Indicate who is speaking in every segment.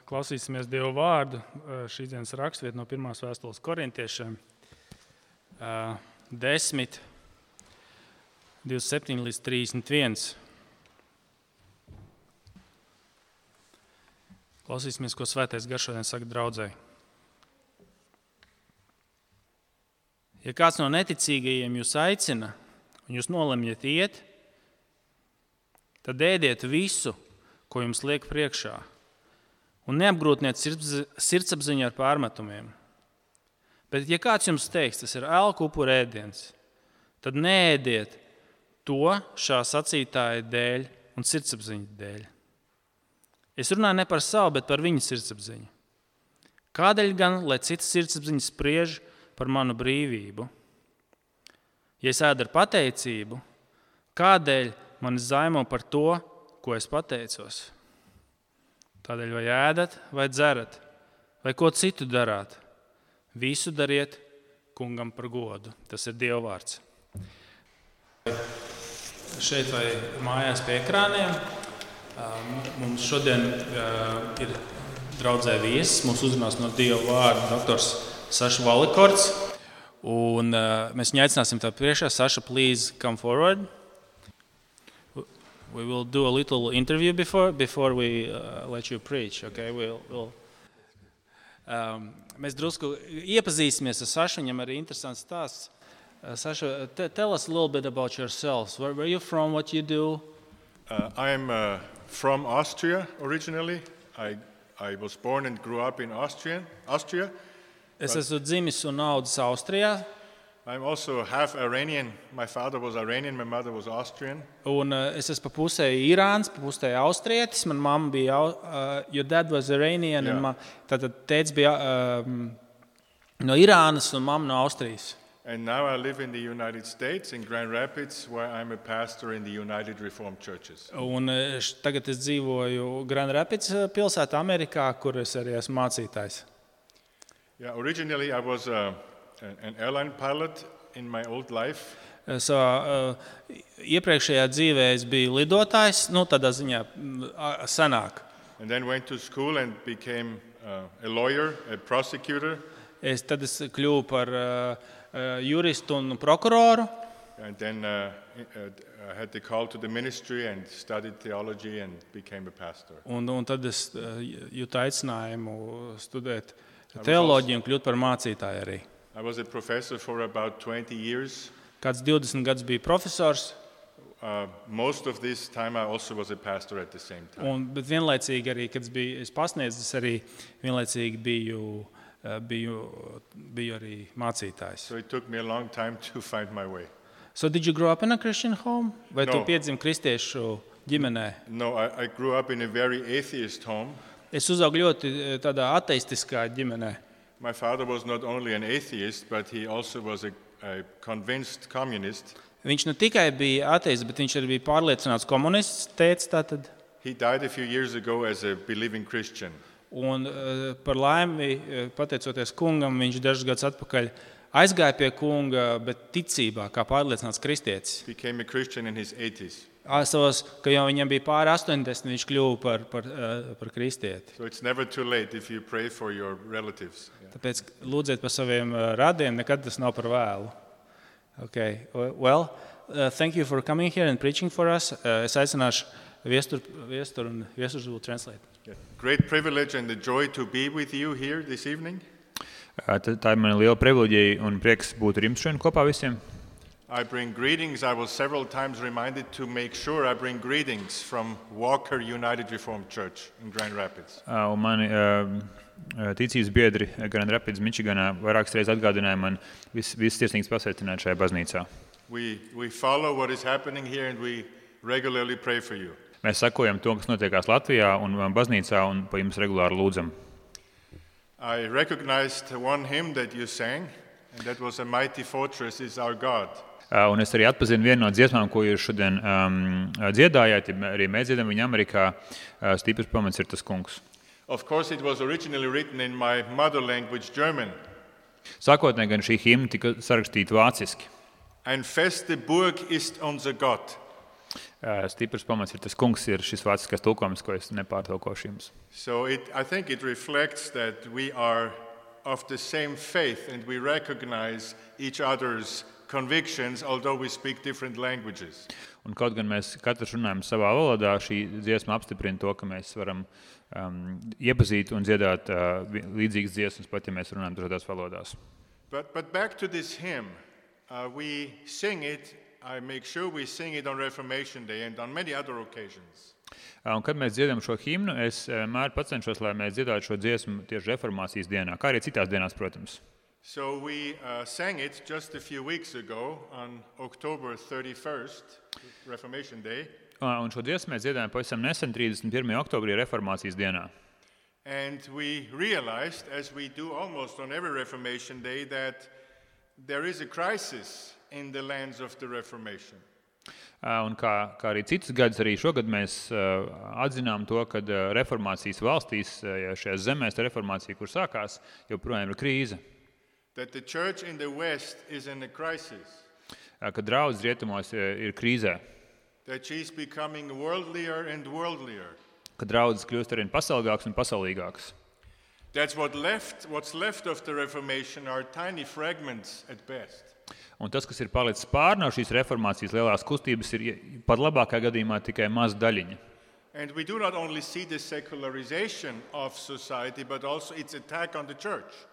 Speaker 1: klausīsimies Dieva vārdu. Šīs dienas rakstvieta no 1. vēstules korintiešiem 10, 27 līdz 31. Klausīsimies, ko Svētais Gars šodien saka draudzei. Ja kāds no neticīgajiem jūs aicina, un jūs nolemjat iet, tad ēdiet visu, ko jums liek priekšā, un neapgrūtiniet sirdsapziņu ar pārmetumiem. Bet, ja kāds jums teiks, tas ir elku upuru ēdiens, tad neēdiet to šā sacītāja dēļ un sirdsapziņas dēļ. Es runāju ne par savu, bet par viņu sirdsapziņu. Kādēļ gan, lai citas sirdsapziņas spriež par manu brīvību? Ja es ēdu ar pateicību, kādēļ mani zaimo par to, ko es pateicos? Tādēļ vai ēdat, vai dzerat, vai ko citu darāt, visu dariet kungam par godu. Tas ir Dieva vārds. Šeit vai mājās pie ekrāniem mums šodien ir draudzē viesis. Mums uzrunās no Dieva vārda doktors Saša Valikords. Un mēs viņu aicināsim tā priekšā. Saša, please come forward. We will do a little interview before we let you preach. Okay? Mēs drusku iepazīsimies ar Sašu. Viņam arī interesants stāsts. Sasha, tell us a little bit about yourselves. Where are you from? What you do?
Speaker 2: I'm from Austria originally. I was born and grew up in Austria.
Speaker 1: Es esmu dzimis un audzis Austrijā.
Speaker 2: I'm also half Iranian. My father was Iranian, my mother was Austrian.
Speaker 1: Un es esmu pa pusē Irāns, pa pusē austrietis. Man mamma bija, your dad was Iranian,
Speaker 2: Yeah.
Speaker 1: un tātad tēvs bija no Irānas un mamma no Austrijas.
Speaker 2: And now I live in the United States, in Grand Rapids, where I'm a pastor in the United Reformed Churches.
Speaker 1: Un tagad es dzīvoju Grand Rapids pilsētā Amerikā, kur es arī esmu mācītājs.
Speaker 2: Yeah, originally I was an airline pilot in my old life.
Speaker 1: Savā iepriekšējā dzīvē es biju lidotājs, tādā ziņā senāk.
Speaker 2: And then went to school and became a lawyer, a prosecutor.
Speaker 1: Tad es kļuvu par juristu un prokuroru.
Speaker 2: And then I had the call to the ministry and studied theology and became a pastor.
Speaker 1: Un tad es jūtu aicinājumu studēt teoloģiju un kļūt par mācītāju arī.
Speaker 2: I was a professor for about 20 years.
Speaker 1: Kāds 20 gadus biju profesors,
Speaker 2: Most of this time I also was a pastor at the same time.
Speaker 1: bet vienlaicīgi arī, kad es pasniedzu, arī vienlaicīgi biju arī mācītājs.
Speaker 2: So it took me a long time to find my way.
Speaker 1: So did you grow up in a Christian home? Vai tu
Speaker 2: No.
Speaker 1: piedzimi kristiešu ģimenē?
Speaker 2: No, I grew up in a very atheist home.
Speaker 1: Es uzaugu ļoti tādā ateistiskā ģimenē.
Speaker 2: My father was not only an atheist, but he also was a convinced communist.
Speaker 1: Viņš ne tikai bija ateists, bet viņš arī bija pārliecināts komunists, tēvs tātad.
Speaker 2: He died a few years ago as a believing Christian.
Speaker 1: Un par laimi, pateicoties kungam, viņš dažus gadus atpakaļ aizgāja pie kunga, bet ticībā, kā pārliecināts kristietis.
Speaker 2: Became a Christian in his 80s.
Speaker 1: Savos, ka jau viņam bija pāri 80, viņš kļuva par kristieti.
Speaker 2: So it's never too late if you pray for your relatives. Yeah.
Speaker 1: Tāpēc lūdziet par saviem radiem, nekad tas nav par vēlu. Okay. Well, thank you for coming here and preaching for us. Es aicināšu viesturu un viesturs will translate.
Speaker 2: Yeah. Great privilege and a joy to be with you here this evening.
Speaker 3: Tā ir mana liela privileģija un prieks būt ar jums šodien kopā visiem.
Speaker 2: I bring greetings. I was several times reminded to make sure I bring greetings from Walker United Reformed Church in Grand Rapids.
Speaker 3: Un mani ticības biedri Grand Rapids, Mičiganā vairākas reizes atgādināja man visus sirsnīgus pasveicināt šajā baznīcā.
Speaker 2: We follow what is happening here and we regularly pray for you.
Speaker 3: Mēs sekojam to, kas notiekās Latvijā un baznīcā un pa jums regulāri lūdzam.
Speaker 2: I recognized one hymn that you sang, and that was "A Mighty Fortress is Our God."
Speaker 3: Un es arī atpazinu vienu no dziesmām, ko jūs šodien dziedājāt, arī mēs dziedam viņa Amerikā. Stiprs pamats ir tas kungs.
Speaker 2: Of course, it was originally written in my mother language, German.
Speaker 3: Sākotnēji gan šī himna tika sarakstīta vāciski.
Speaker 2: Ein feste Burg ist unser Gott,
Speaker 3: Stiprs pamats ir tas kungs, ir šis vāciskais tulkojums, ko es nepārtulkošu jums.
Speaker 2: So I think it reflects that we are of the same faith and we recognize each other's convictions, although we speak different languages.
Speaker 3: Un kaut gan mēs katrs runājam savā valodā, šī dziesma apstiprina to, ka mēs varam iepazīt un dziedāt līdzīgas dziesmas, pat ja mēs runājam dažādās valodās.
Speaker 2: But back to this hymn, we sing it. I make sure we sing it on Reformation Day and on many other occasions.
Speaker 3: Un kad mēs dziedam šo himnu, es mēr pacenšos, lai mēs dziedātu šo dziesmu tieši reformācijas dienā, kā arī citās dienās, protams.
Speaker 2: So we sang it just a few weeks ago on October 31st, Reformation Day.
Speaker 3: Un šo dziesmu mēs dziedājām pavisam nesen, 31. oktobrī reformācijas dienā.
Speaker 2: And we realized, as we do almost on every Reformation Day, that there is a crisis in the lands of the Reformation.
Speaker 3: Un kā arī citus gadus, arī šogad mēs atzinām to, ka reformācijas valstīs, šajās zemēs reformācija, kur sākās, joprojām ir krīze.
Speaker 2: That the church in the West is in a crisis.
Speaker 3: Ka draudz rietumos ir krīzē.
Speaker 2: That she's becoming worldlier and worldlier.
Speaker 3: Ka draudzes kļūst arvien pasaulīgāks un pasaulīgāks.
Speaker 2: That's what's left of the Reformation are tiny fragments at best.
Speaker 3: Un tas, kas ir palicis pār no šīs reformācijas lielās kustības, ir pat labākā gadījumā tikai maza daļiņa.
Speaker 2: And we do not only see the secularization of society, but also its attack on the church.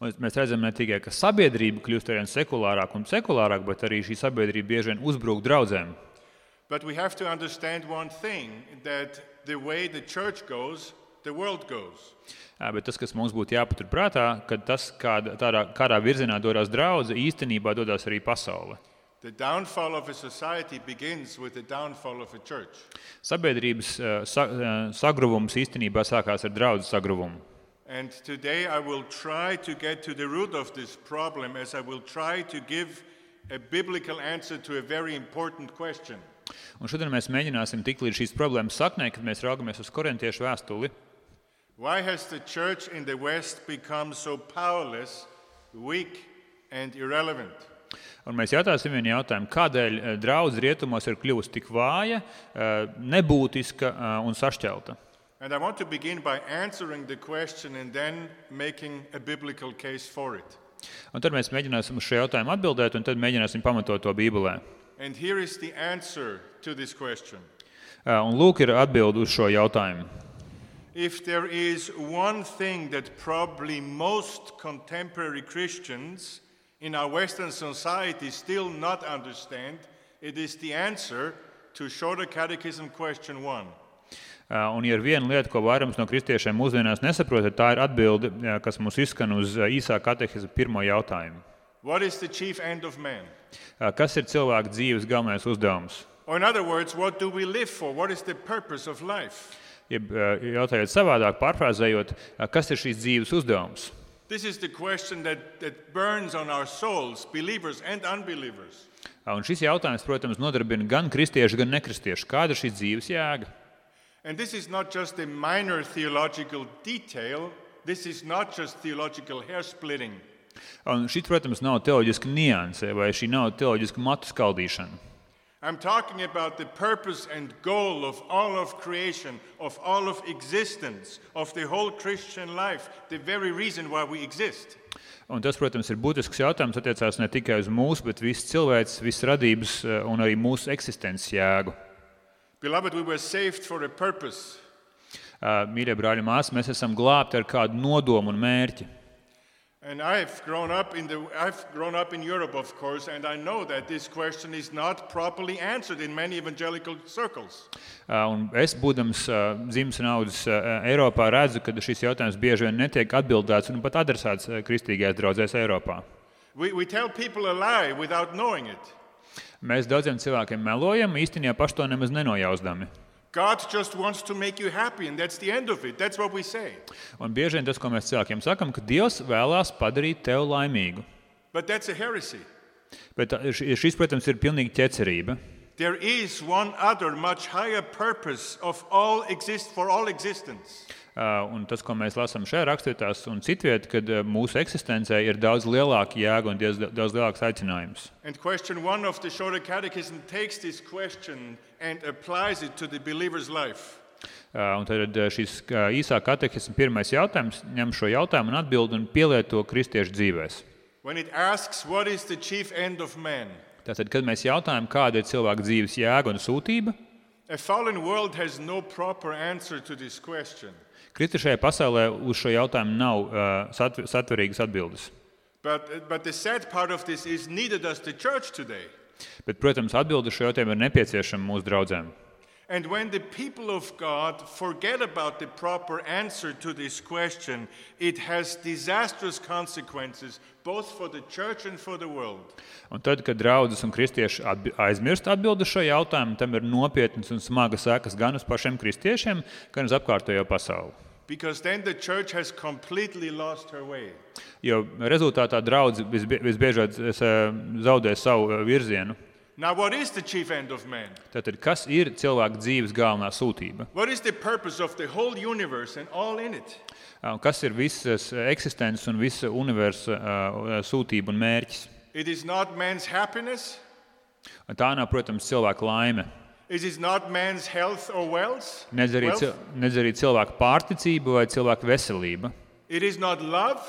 Speaker 3: Un mēs redzam ne tikai, ka sabiedrība kļūst arvien sekulārāk un sekulārāk, bet arī šī sabiedrība bieži vien uzbrūk draudzēm.
Speaker 2: But we have to understand one thing, that the way the church goes, the world goes.
Speaker 3: Bet tas, kas mums būtu jāpatur prātā, ka tas, kādā virzienā dodas draudze, īstenībā dodas arī pasaule.
Speaker 2: The downfall of a society begins with the downfall of a church.
Speaker 3: Sabiedrības sagruvums īstenībā sākās ar draudzes sagruvumu.
Speaker 2: And today I will try to get to the root of this problem as I will try to give a biblical answer to a very important question.
Speaker 3: Un šodien mēs mēģināsim tikt līdz šīs problēmas saknē, kad mēs raugamies uz korintiešu vēstuli.
Speaker 2: Why has the church in the West become so powerless, weak and irrelevant?
Speaker 3: Un mēs jautāsim vienu jautājumu, kādēļ draudze rietumos ir kļuvusi tik vāja, nebūtiska un sašķelta.
Speaker 2: And I want to begin by answering the question and then making a biblical case for it.
Speaker 3: Un tad mēs mēģināsim uz šo jautājumu atbildēt, un tad mēģināsim pamatot to Bībelē.
Speaker 2: And here is the answer to this question.
Speaker 3: Un lūk ir atbildi uz šo jautājumu.
Speaker 2: If there is one thing that probably most contemporary Christians in our Western society still not understand, it is the answer to Shorter Catechism question 1.
Speaker 3: Un ja ir viena lieta, ko vairums no kristiešiem mūsdienās nesaprot, tā ir atbilde, kas mums izskan uz īsā katehizma pirmo jautājumu.
Speaker 2: What is the chief end of man?
Speaker 3: Kas ir cilvēka dzīves galvenais uzdevums?
Speaker 2: Or in other words, what do we live for? What is the purpose of life?
Speaker 3: Jautājot savādāk, pārfrāzējot, kas ir šīs dzīves uzdevums?
Speaker 2: This is the question that burns on our souls, believers and unbelievers.
Speaker 3: Un šis jautājums, protams, nodarbina gan kristiešu, gan nekristiešu. Kāda ir šīs dzīves jēga?
Speaker 2: And this is not just a minor theological detail. This is not just theological hair splitting.
Speaker 3: Un šī, protams, nav teoloģiska nianse, vai šī nav teoloģiska matu skaldīšana.
Speaker 2: I'm talking about the purpose and goal of all of creation, of all of existence, of the whole Christian life, the very reason why we exist.
Speaker 3: Un tas, protams, ir būtisks jautājums, attiecās ne tikai uz mūsu, bet visu cilvēks, visu radības un arī mūsu eksistences jēgu.
Speaker 2: Beloved, we were saved for a purpose.
Speaker 3: Mīļie brāļi, māsas, mēs esam glābti ar kādu nodomu un mērķi.
Speaker 2: And I've grown up in Europe, of course, and I know that this question is not properly answered in many evangelical circles.
Speaker 3: Un es, būdams dzimis un audzis Eiropā, redzu, ka šis jautājums bieži vien netiek atbildēts un pat adresēts kristīgajās draudzēs Eiropā.
Speaker 2: We tell people a lie without knowing it.
Speaker 3: Mēs daudziem cilvēkiem melojam, īstenībā paši to nemaz nenojausdami.
Speaker 2: God just wants to make you happy, and that's the end of it. That's what we say.
Speaker 3: Un bieži vien tas, ko mēs cilvēkiem sakam, ka Dievs vēlās padarīt tevi laimīgu.
Speaker 2: But that's a heresy.
Speaker 3: Bet šis, protams, ir pilnīgi ķecerība.
Speaker 2: There is one other much higher purpose of for all existence.
Speaker 3: Un tas, ko mēs lasām šajā rakstvietās un citviet, kad mūsu eksistencē ir daudz lielāka jēga un daudz lielāks aicinājums.
Speaker 2: And question 1 of the Shorter Catechism takes this question and applies it to the believer's life.
Speaker 3: Un tad šis īsā katehisma pirmais jautājums ņem šo jautājumu un atbild un pielieto kristiešu dzīvēs.
Speaker 2: When it asks, what is the chief end of man?
Speaker 3: Tātad, kad mēs jautājam, kāda ir cilvēka dzīves jēga un sūtība,
Speaker 2: A fallen world has no proper answer to this question.
Speaker 3: kritušajā pasaulē uz šo jautājumu nav satverīgas atbildes.
Speaker 2: But the sad part of this is neither does the church today.
Speaker 3: Bet, protams, atbilde šo jautājumu ir nepieciešama mūsu draudzēm.
Speaker 2: And when the people of God forget about the proper answer to this question, it has disastrous consequences both for the church and for the world.
Speaker 3: Un tad, kad draudzes un kristieši aizmirst atbildi šo jautājumu, tam ir nopietnas un smagas sekas gan uz pašiem kristiešiem, gan uz apkārtējo pasauli.
Speaker 2: Because then the church has completely lost her way.
Speaker 3: Jo rezultātā draudze visbiežāk zaudē savu virzienu.
Speaker 2: Now, what is the chief end of man?
Speaker 3: Tātad, kas ir cilvēka dzīves galvenā sūtība?
Speaker 2: What is the purpose of the whole universe and all in it?
Speaker 3: Kas ir visas eksistences un visa universa sūtība un mērķis?
Speaker 2: It is not man's happiness.
Speaker 3: Tā nav, protams, cilvēka laime.
Speaker 2: It is not man's health or wealth.
Speaker 3: Nedz arī cilvēka pārticība vai cilvēka veselība.
Speaker 2: It is not love.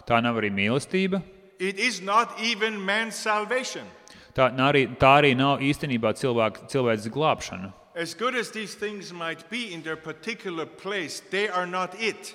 Speaker 3: Tā nav arī mīlestība.
Speaker 2: It is not even man's salvation.
Speaker 3: Tā arī nav īstenībā cilvēks glābšana.
Speaker 2: As good as these things might be in their particular place, they are not it.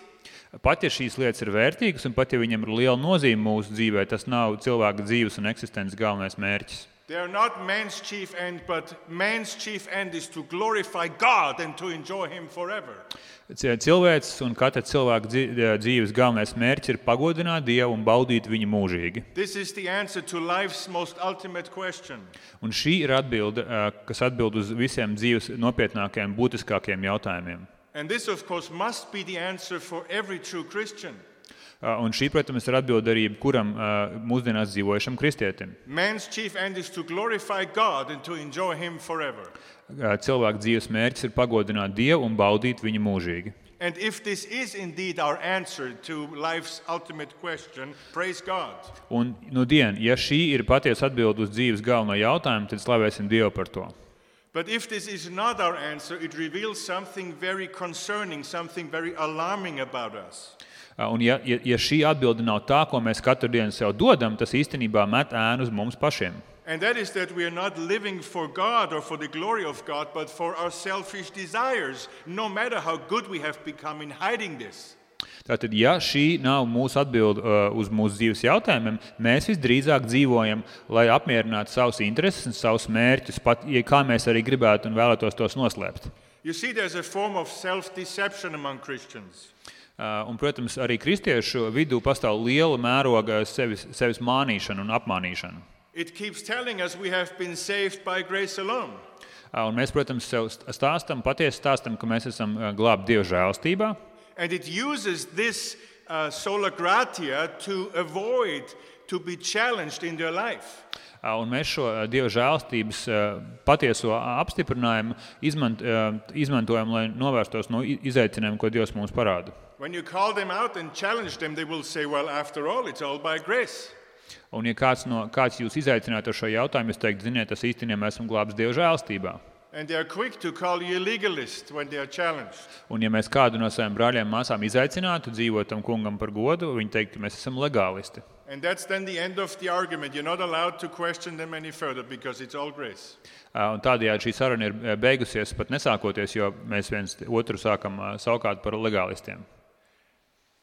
Speaker 3: Pat ja šīs lietas ir vērtīgas un pat ja viņam ir liela nozīme mūsu dzīvē, tas nav cilvēka dzīves un eksistences galvenais mērķis.
Speaker 2: They are not man's chief end, but man's chief end is to glorify God and to enjoy Him forever.
Speaker 3: Cilvēks un katra cilvēka dzīves galvenais mērķis ir pagodināt Dievu un baudīt viņu mūžīgi.
Speaker 2: This is the answer to life's most ultimate question.
Speaker 3: Un šī ir atbilde, kas atbild uz visiem dzīves nopietnākajiem, būtiskākajiem jautājumiem.
Speaker 2: And this, of course, must be the answer for every true Christian.
Speaker 3: Un šī, protams, ir atbilde arī kuram mūsdienās dzīvojušam kristietim.
Speaker 2: Man's chief end is to glorify God and to enjoy Him forever.
Speaker 3: Cilvēka dzīves mērķis ir pagodināt Dievu un baudīt viņu mūžīgi.
Speaker 2: And if this is indeed our answer to life's ultimate question, praise God.
Speaker 3: Un ja šī ir patiesa atbilde uz dzīves galveno jautājumu, tad slavēsim Dievu par to.
Speaker 2: But if this is not our answer, it reveals something very concerning, something very alarming about us.
Speaker 3: Un ja šī atbilde nav tā, ko mēs katru dienu sev dodam, tas īstenībā met ēnu uz mums pašiem.
Speaker 2: And that is that we are not living for God or for the glory of God, but for our selfish desires, no matter how good we have become in hiding this.
Speaker 3: Tātad, ja šī nav mūsu atbilde uz mūsu dzīves jautājumiem, mēs visdrīzāk dzīvojam, lai apmierinātu savus intereses un savus mērķus, pat kā mēs arī gribētu un vēlētos tos noslēpt.
Speaker 2: You see, there's a form of self-deception among Christians.
Speaker 3: Un, protams, arī kristiešu vidū pastāv liela mēroga sevis mānīšana un apmānīšana.
Speaker 2: It keeps telling us we have been saved by grace alone.
Speaker 3: Un mēs, protams, sev patiesi stāstam, ka mēs esam glābti Dieva žēlstībā.
Speaker 2: And it uses this sola gratia to avoid to be challenged in their life.
Speaker 3: Un mēs šo Dieva žēlstības patieso apstiprinājumu izmantojam, lai novērstos no izaicinājumiem, ko Dievs mums parāda.
Speaker 2: When you call them out and challenge them, they will say, well, after all, it's all by grace.
Speaker 3: Un ja kāds jūs izaicinātu ar šo jautājumu, jūs teikt, ziniet, tas īstenībā esam glābts Dieva žēlstībā.
Speaker 2: And they are quick to call you a legalist when they are challenged.
Speaker 3: Un ja mēs kādu no saviem brāļiem māsām izaicinātu dzīvot tam kungam par godu, viņi teikt, ka mēs esam legālisti.
Speaker 2: And that's then the end of the argument. You're not allowed to question them any further because it's all grace.
Speaker 3: Un tādējādi šī saruna ir beigusies, pat nesākoties, jo mēs viens otru sākam saukāt par legālistiem.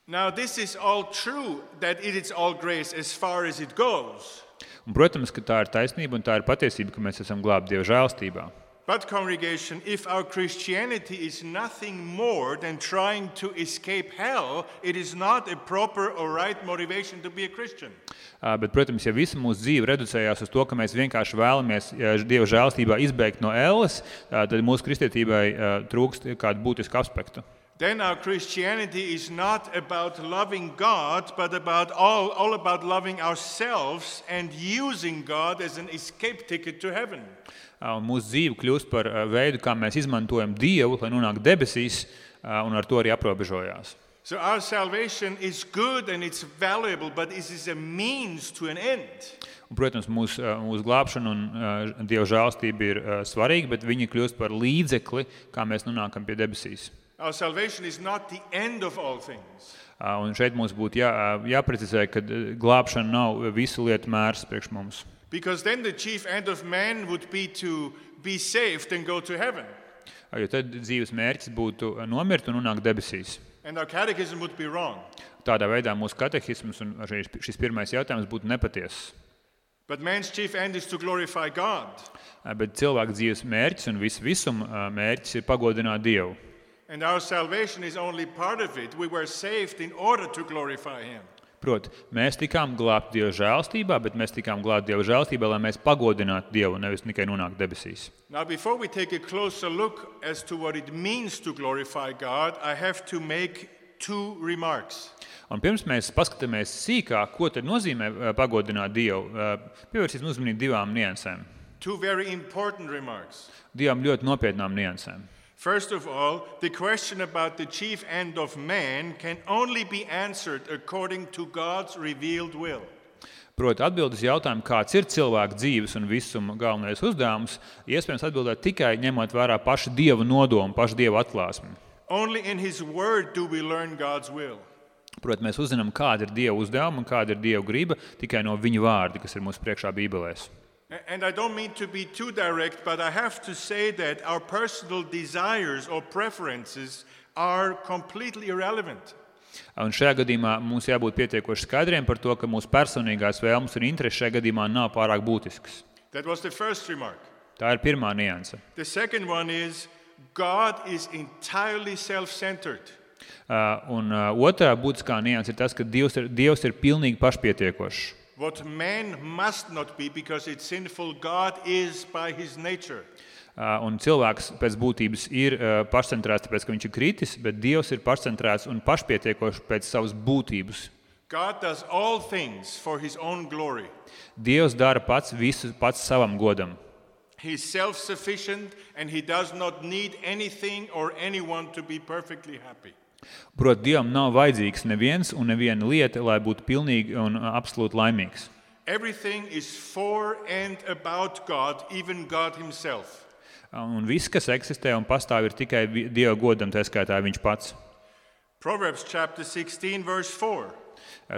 Speaker 2: Now, this is all true, that it is all grace as far as it goes.
Speaker 3: Un, protams, ka tā ir taisnība un tā ir patiesība, ka mēs esam glābti Dieva žēlstībā.
Speaker 2: But, congregation, if our Christianity is nothing more than trying to escape hell, it is not a proper or right motivation to be a Christian.
Speaker 3: Bet, protams, ja visa mūsu dzīve reducējās uz to, ka mēs vienkārši vēlamies Dieva žēlstībā izbēgt no elles, tad mūsu kristietībai trūkst kādu būtisku aspektu.
Speaker 2: Then our Christianity is not about loving God, but all about loving ourselves and using God as an escape ticket to heaven.
Speaker 3: Un mūsu dzīve kļūst par veidu, kā mēs izmantojam Dievu, lai nonāktu debesīs, un ar to arī aprobežojās.
Speaker 2: So our salvation is good and it's valuable, but it is a means to an end.
Speaker 3: Un, protams, mūsu glābšana un Dieva žēlastība ir svarīga, bet viņi kļūst par līdzekli, kā mēs nonākam pie debesīs.
Speaker 2: Our salvation is not the end of all things.
Speaker 3: Un šeit mums būtu jāprecizē, ka glābšana nav visu lietu mērs priekš mums.
Speaker 2: Because then the chief end of man would be to be saved and go to heaven.
Speaker 3: Jo tad dzīves mērķis būtu nomirt un nonākt debesīs.
Speaker 2: And our catechism would be wrong.
Speaker 3: Tādā veidā mūsu katehisms un šis pirmais jautājums būtu nepatiess.
Speaker 2: But man's chief end is to glorify God.
Speaker 3: Bet cilvēka dzīves mērķis un visuma mērķis ir pagodināt Dievu.
Speaker 2: And our salvation is only part of it. We were saved in order to glorify Him.
Speaker 3: Proti, mēs tikām glābti Dieva žēlastībā, bet mēs tikām glābti Dieva žēlastībā, lai mēs pagodinātu Dievu, nevis tikai nonāktu debesīs.
Speaker 2: Now, before we take a closer look as to what it means to glorify God, I have to make two remarks.
Speaker 3: Un pirms mēs paskatāmies sīkāk, ko tad nozīmē pagodināt Dievu, pievērsīsim uzmanību divām niansēm.
Speaker 2: Two very important remarks.
Speaker 3: Divām ļoti nopietnām niansēm.
Speaker 2: First of all, the question about the chief end of man can only be answered according to God's revealed will.
Speaker 3: Proti, atbildes jautājumu, kāds ir cilvēka dzīves un visuma galvenais uzdevums, iespējams atbildēt tikai ņemot vērā pašu Dieva nodomu, pašu Dieva atklāsmi.
Speaker 2: Only in His Word do we learn God's will.
Speaker 3: Proti, mēs uzzinām, kāda ir Dieva uzdevuma un kāda ir Dieva griba tikai no viņa vārda, kas ir mūsu priekšā Bībelēs.
Speaker 2: And I don't mean to be too direct, but I have to say that our personal desires or preferences are completely irrelevant.
Speaker 3: Un šajā gadījumā mums jābūt pietiekoši skaidriem par to, ka mūsu personīgās vēlmes un intereses šajā gadījumā nav pārāk būtiskas.
Speaker 2: That was the first remark.
Speaker 3: Tā ir pirmā nianse.
Speaker 2: The second one is God is entirely self-centered.
Speaker 3: Un otrā būtiskā nianse ir tas, ka Dievs ir pilnīgi pašpietiekošs.
Speaker 2: What man must not be because it's sinful, God is by His nature.
Speaker 3: Un cilvēks pēc būtības ir pašcentrēts, tāpēc, ka viņš ir kritis, bet Dievs ir pašcentrēts un pašpietiekošs pēc savas būtības.
Speaker 2: God does all things for His own glory.
Speaker 3: Dievs dara visu pats savam godam.
Speaker 2: He is self-sufficient and He does not need anything or anyone to be perfectly happy.
Speaker 3: Proti, Dievam nav vajadzīgs neviens un neviena lieta, lai būtu pilnīgi un absolūti laimīgs.
Speaker 2: Everything is for and about God, even God Himself.
Speaker 3: Un viss, kas eksistē un pastāv, ir tikai Dieva godam, tā skaitā viņš pats.
Speaker 2: Proverbs chapter 16, verse 4.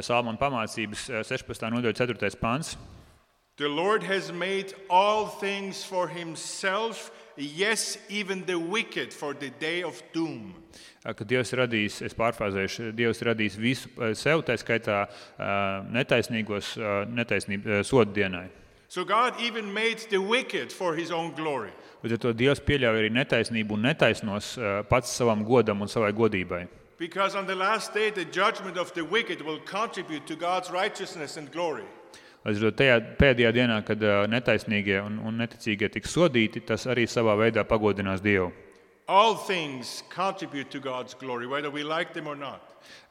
Speaker 3: Salmona pamācības 16. nodaļa 4. pants.
Speaker 2: The Lord has made all things for Himself, yes, even the wicked for the day of doom.
Speaker 3: Ka Dievs radīs, es pārfrāzēšu, Dievs radīs visu sev, tā skaitā netaisnīgos soda dienai.
Speaker 2: So God even made the wicked for His own glory.
Speaker 3: Līdz ar to Dievs pieļauj arī netaisnību un netaisnos pats savam godam un savai godībai.
Speaker 2: Because on the last day the judgment of the wicked will contribute to God's righteousness and glory.
Speaker 3: Līdz ar to tajā pēdējā dienā, kad netaisnīgie un neticīgie tiks sodīti, tas arī savā veidā pagodinās Dievu.
Speaker 2: All things contribute to God's glory, whether we like them or not.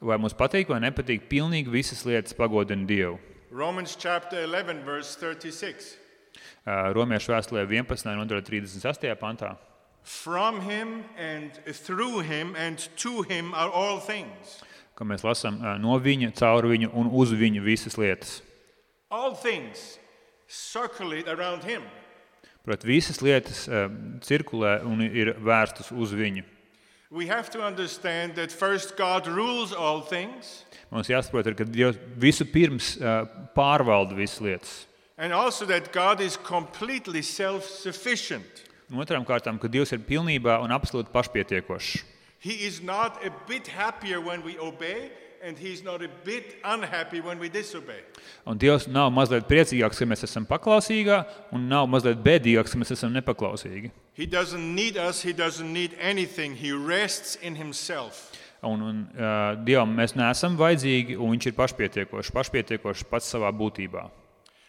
Speaker 3: Vai mums patīk vai nepatīk, pilnīgi visas lietas pagodina Dievu.
Speaker 2: Romans chapter 11, verse 36.
Speaker 3: Romiešu vēstulē 11. nodaļa 38. pantā.
Speaker 2: From Him and through Him and to Him are all things.
Speaker 3: Ka mēs lasām no viņa, caur viņu un uz viņu visas lietas.
Speaker 2: All things circulate around Him.
Speaker 3: Proti, visas lietas cirkulē un ir vērstas uz viņu.
Speaker 2: We have to understand that first God rules all things.
Speaker 3: Mums jāsaprot, ka Dievs visu pirms pārvalda visas lietas.
Speaker 2: And also that God is completely self-sufficient.
Speaker 3: Un otrām kārtām, ka Dievs ir pilnībā un absolūti pašpietiekošs.
Speaker 2: He is not a bit happier when we obey, and He is not a bit unhappy when we disobey.
Speaker 3: Un Dievs nav mazliet priecīgāks, ka mēs esam paklausīgā, un nav mazliet bēdīgāks, ka mēs esam nepaklausīgi.
Speaker 2: He doesn't need us, He doesn't need anything. He rests in Himself.
Speaker 3: Un Dievam mēs neesam vajadzīgi, un viņš ir pašpietiekošs pats savā būtībā.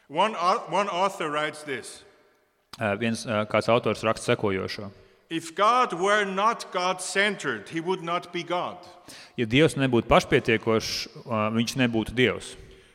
Speaker 2: One author writes this.
Speaker 3: Kāds autors raksta sekojošo.
Speaker 2: If God were not God-centered, He would not be God.
Speaker 3: Ja Dievs nebūtu pašpietiekošs, viņš nebūtu Dievs.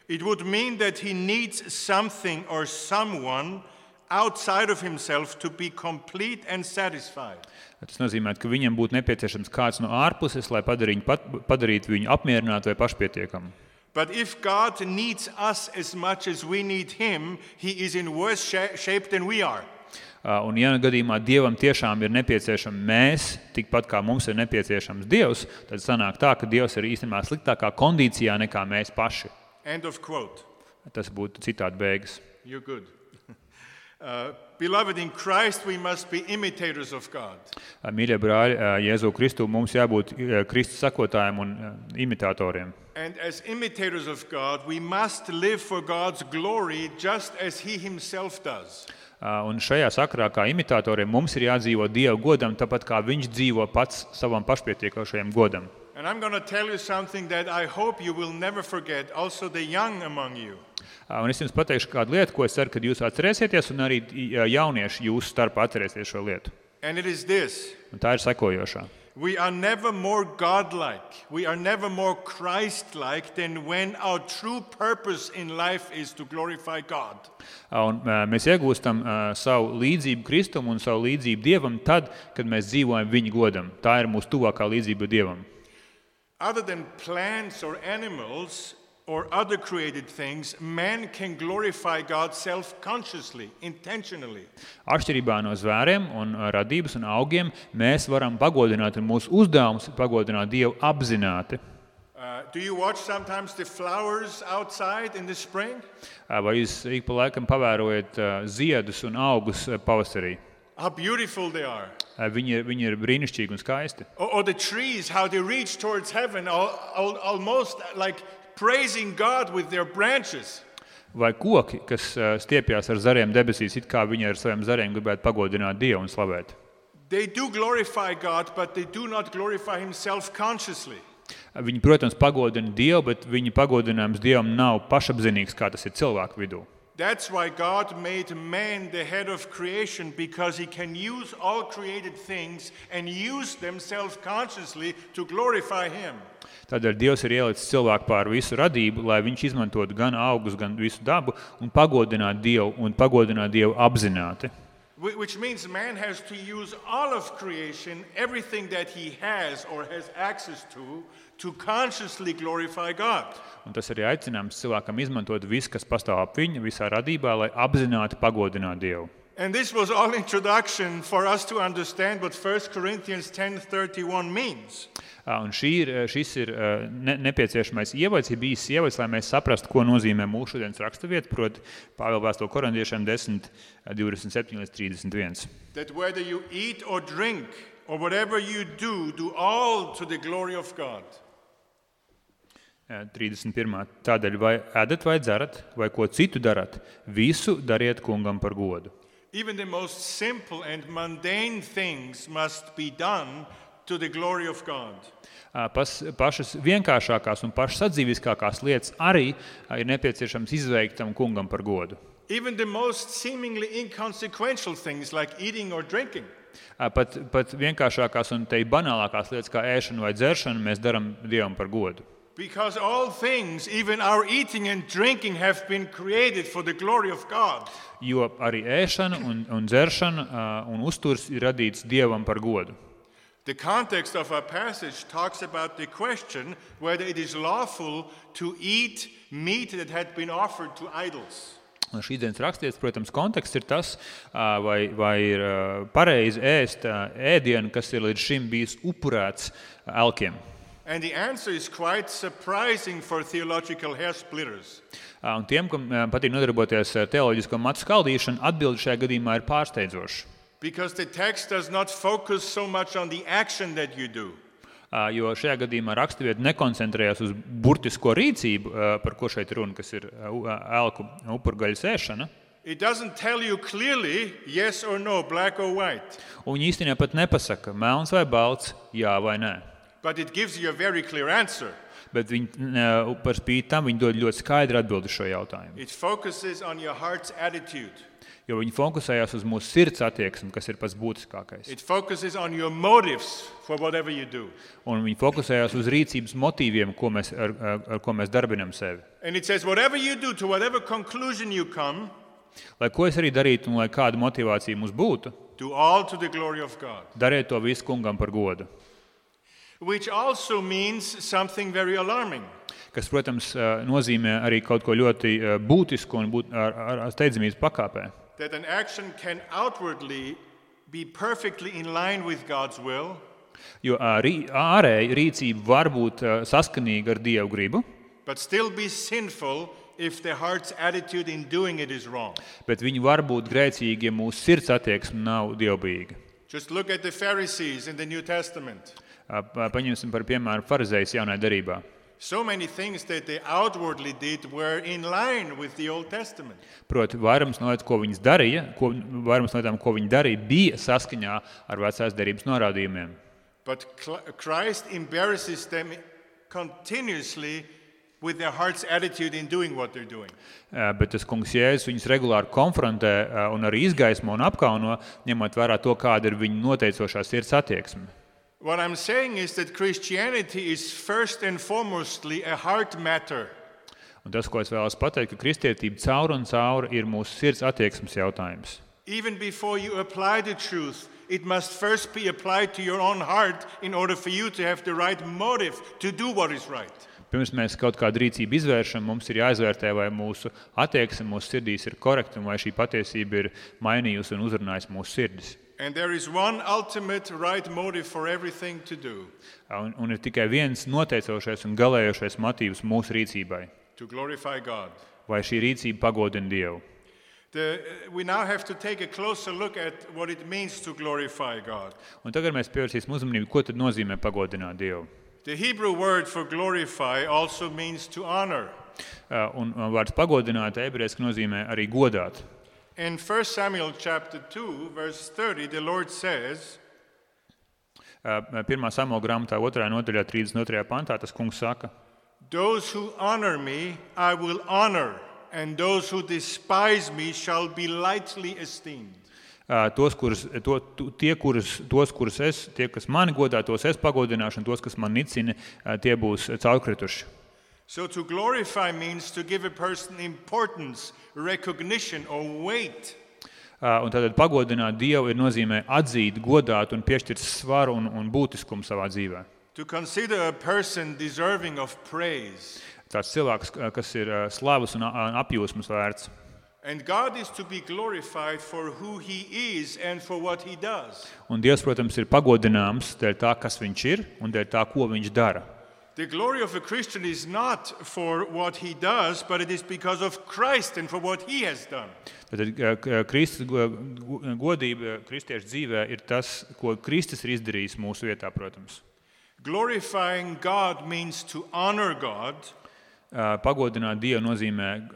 Speaker 2: It would mean that He needs something or someone outside of Himself to be complete and satisfied.
Speaker 3: Tas nozīmē, ka viņam būtu nepieciešams kāds no ārpuses, lai padarītu viņu apmierinātu vai pašpietiekamu.
Speaker 2: But if God needs us as much as we need him, he is in worse shape than we are.
Speaker 3: Un ja gadījumā Dievam tiešām ir nepieciešams mēs, tikpat kā mums ir nepieciešams Dievs, tad sanāk tā, ka Dievs ir īstenībā sliktākā kondīcijā nekā mēs paši.
Speaker 2: End of quote.
Speaker 3: Tas būtu citādi beigas.
Speaker 2: You're good. Beloved, in Christ we must be imitators of God.
Speaker 3: Mīļie brāļi, Jēzu Kristu mums jābūt Kristus sekotājiem un imitatoriem.
Speaker 2: And as imitators of God, we must live for God's glory just as he himself does.
Speaker 3: Un šajā sakarā kā imitatoriem mums ir jādzīvo Dieva godam, tāpat kā viņš dzīvo pats savam pašpietiekošajam godam.
Speaker 2: And I'm going to tell you something that I hope you will never forget, also the young among you.
Speaker 3: Un es jums pateikšu kādu lietu, ko es ceru, ka jūs atcerēsieties, un arī jaunieši jūsu starpā atcerēsies šo lietu.
Speaker 2: And it is this.
Speaker 3: Un tā ir sekojošā.
Speaker 2: We are never more godlike, we are never more Christ-like than when our true purpose in life is to glorify God.
Speaker 3: Un mēs iegūstam savu līdzību Kristum un savu līdzību Dievam tad, kad mēs dzīvojam viņa godam. Tā ir mūsu tuvākā līdzība Dievam.
Speaker 2: Other than plants or animals or other created things, man can glorify God self-consciously, intentionally.
Speaker 3: Atšķirībā no zvēriem un radības un augiem, mēs varam pagodināt, un mūsu uzdevums ir pagodināt Dievu apzināti.
Speaker 2: Do you watch sometimes the flowers outside in the spring?
Speaker 3: Vai jūs ik pa laikam pavērojat ziedus un augus pavasarī?
Speaker 2: How beautiful they are.
Speaker 3: Viņi ir brīnišķīgi un skaisti.
Speaker 2: Or the trees, how they reach towards heaven, almost like praising God with their branches.
Speaker 3: Vai koki, kas stiepjas ar zariem debesīs, it kā viņi ar saviem zariem gribētu pagodināt Dievu un slavēt.
Speaker 2: They do glorify God, but they do not glorify him self-consciously.
Speaker 3: Viņi, protams, pagodina Dievu, bet viņa pagodinājums Dievam nav pašapzinīgs, kā tas ir cilvēku vidū.
Speaker 2: That's why God made man the head of creation, because he can use all created things and use them self-consciously to glorify him.
Speaker 3: Tādēļ Dievs ir ielicis cilvēku pār visu radību, lai viņš izmantotu gan augus, gan visu dabu un pagodinātu Dievu apzināti.
Speaker 2: Which means man has to use all of creation, everything that he has or has access to consciously glorify God.
Speaker 3: Un tas arī aicinājums cilvēkam izmantot visu, kas pastāv ap viņu, visā radībā, lai apzināti pagodinātu Dievu.
Speaker 2: And this was all introduction for us to understand what 1 Corinthians 10:31 means.
Speaker 3: Un šis ir nepieciešamais ievads, ir bijis ievads, lai mēs saprastu, ko nozīmē mūsu šodienas raksturvieta, proti Pāvila vēstule Korintiešiem 10:27-31.
Speaker 2: That whether you eat or drink or whatever you do all to the glory of God.
Speaker 3: 31. Tādēļ vai ēdat vai dzerat, vai ko citu darat, visu dariet kungam par godu.
Speaker 2: Even the most simple and mundane things must be done to the glory of God.
Speaker 3: Pašas vienkāršākās un pašas sadzīviskākās lietas arī ir nepieciešams izveikt tam kungam par godu.
Speaker 2: Even the most seemingly inconsequential things like eating or drinking.
Speaker 3: Pat vienkāršākās un te banālākās lietas kā ēšana vai dzeršana mēs darām Dievam par godu.
Speaker 2: Because all things, even our eating and drinking, have been created for the glory of God.
Speaker 3: Jo arī ēšana un dzeršana un uzturs ir radīts Dievam par godu.
Speaker 2: The context of our passage talks about the question whether it is lawful to eat meat that had been offered to idols.
Speaker 3: Un šīs dienas rakstīts, protams, konteksts ir tas, vai ir pareizi ēst ēdienu, kas ir līdz šim bijis upurēts elkiem.
Speaker 2: And the answer is quite surprising for theological hair splitters.
Speaker 3: Un tiem, kam patīk nodarboties ar teoloģisko matu skaldīšanu, atbilde šajā gadījumā ir pārsteidzoša.
Speaker 2: Because the text does not focus so much on the action that you do.
Speaker 3: Jo šajā gadījumā raksturvieta nekoncentrējas uz burtisko rīcību, par ko šeit runa, kas ir elku upurgaļas ēšana.
Speaker 2: It doesn't tell you clearly yes or no, black or white.
Speaker 3: Un viņi īstenībā pat nepasaka melns vai balts, jā vai nē.
Speaker 2: But it gives you a very clear answer.
Speaker 3: Bet viņi par spīti tam viņi dod ļoti skaidru atbildi šo jautājumu.
Speaker 2: It focuses on your heart's attitude.
Speaker 3: Jo viņi fokusējās uz mūsu sirds attieksmi, kas ir pats būtiskākais.
Speaker 2: It focuses on your motives for whatever you do.
Speaker 3: Un viņi fokusējās uz rīcības motīviem, ar ko mēs darbinam sevi.
Speaker 2: And it says whatever you do, to whatever conclusion you come,
Speaker 3: Lai ko es arī darītu un lai kāda motivācija mums būtu,
Speaker 2: Do all to the glory of God.
Speaker 3: Dariet to visu kungam par godu.
Speaker 2: Which also means something very alarming.
Speaker 3: Kas, protams, nozīmē arī kaut ko ļoti būtisku un ar steidzamības pakāpē.
Speaker 2: That an action can outwardly be perfectly in line with God's will.
Speaker 3: Jo ārēji rīcība var būt saskanīga ar Dievu gribu,
Speaker 2: But still be sinful if the heart's attitude in doing it is wrong.
Speaker 3: bet viņi var būt grēcīgi, ja mūsu sirds attieksme nav dievbijīga.
Speaker 2: Just look at the Pharisees in the New Testament.
Speaker 3: Paņemsim par piemēru farizējus jaunajā derībā.
Speaker 2: So many things that they outwardly did were in line with the Old Testament.
Speaker 3: Proti, vairums no lietām, ko viņi darīja, bija saskaņā ar vecās derības norādījumiem.
Speaker 2: But Christ embarrasses them continuously with their heart's attitude in doing what they're doing.
Speaker 3: Bet tas kungs Jēzus viņus regulāri konfrontē un arī izgaismo un apkauno, ņemot vērā to, kāda ir viņa noteicošā sirds attieksme.
Speaker 2: What I'm saying is that Christianity is first and foremostly a heart matter.
Speaker 3: Un tas, ko es vēlos pateikt, ka kristietība caur un caur ir mūsu sirds attieksmes jautājums.
Speaker 2: Even before you apply the truth, it must first be applied to your own heart in order for you to have the right motive to do what is right.
Speaker 3: Pirms mēs kaut kādu rīcību izvēršam, mums ir jāizvērtē, vai mūsu attieksme mūsu sirdīs ir korekta un vai šī patiesība ir mainījusi un uzrunājusi mūsu sirdis.
Speaker 2: And there is one ultimate right motive for everything to do.
Speaker 3: Un ir tikai viens noteicošais un galējošais motīvs mūsu rīcībai.
Speaker 2: To glorify God.
Speaker 3: Vai šī rīcība pagodina Dievu?
Speaker 2: We now have to take a closer look at what it means to glorify God.
Speaker 3: Un tagad mēs pievērsīsim uzmanību, ko tad nozīmē pagodināt Dievu.
Speaker 2: The Hebrew word for glorify also means to honor.
Speaker 3: Un vārds pagodināt ebrejiski nozīmē arī godāt.
Speaker 2: In 1 Samuel chapter 2, verse 30, the Lord says,
Speaker 3: 1. Samuela grāmatā 2. nodaļā 32. pantā tas kungs saka:
Speaker 2: Those who honor me, I will honor, and those who despise me shall be lightly esteemed.
Speaker 3: Tie, kas mani godā, tos es pagodināšu, un tos, kas man nicina, tie būs caurkrituši.
Speaker 2: So to glorify means to give a person importance, recognition or weight.
Speaker 3: Un tātad pagodināt Dievu ir nozīmē atzīt, godāt un piešķirt svaru un būtiskumu savā dzīvē.
Speaker 2: To consider a person deserving of praise.
Speaker 3: Tāds cilvēks, kas ir slavas un apjūsmas vērts.
Speaker 2: And God is to be glorified for who he is and for what he does.
Speaker 3: Un Dievs, protams, ir pagodināms dēļ tā, kas viņš ir un dēļ tā, ko viņš dara.
Speaker 2: The glory of a Christian is not for what he does, but it is because of Christ and for what he has done.
Speaker 3: Tātad Kristus godība kristiešu dzīvē ir tas, ko Kristus ir izdarījis mūsu vietā, protams.
Speaker 2: Glorifying God means to honor God.
Speaker 3: Pagodināt Dievu nozīmē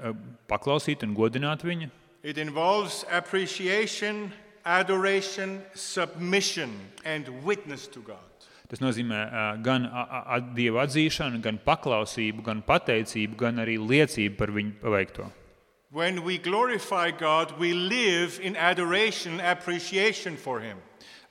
Speaker 3: paklausīt un godināt viņu.
Speaker 2: It involves appreciation, adoration, submission and witness to God.
Speaker 3: Tas nozīmē gan Dieva atzīšanu, gan paklausību, gan pateicību, gan arī liecību par viņu paveikto.
Speaker 2: When we glorify God, we live in adoration, appreciation for him.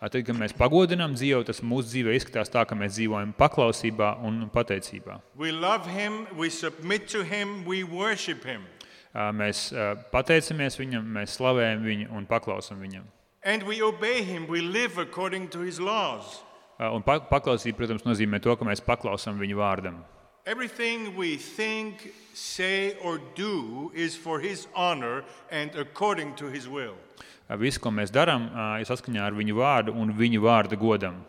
Speaker 3: Tad, kad mēs pagodinām Dievu, tas mūsu dzīvē izskatās tā, ka mēs dzīvojam paklausībā un pateicībā.
Speaker 2: We love him, we submit to him, we worship him.
Speaker 3: Mēs pateicamies viņam, mēs slavējam viņu un paklausam viņam.
Speaker 2: And we obey him, we live according to his laws.
Speaker 3: Un paklausība, protams, nozīmē to, ka mēs paklausam viņu vārdam.
Speaker 2: Everything we think, say or do is for his honor and according to his will.
Speaker 3: Viss, ko mēs darām, ir saskaņā ar viņu vārdu un viņu vārda godam.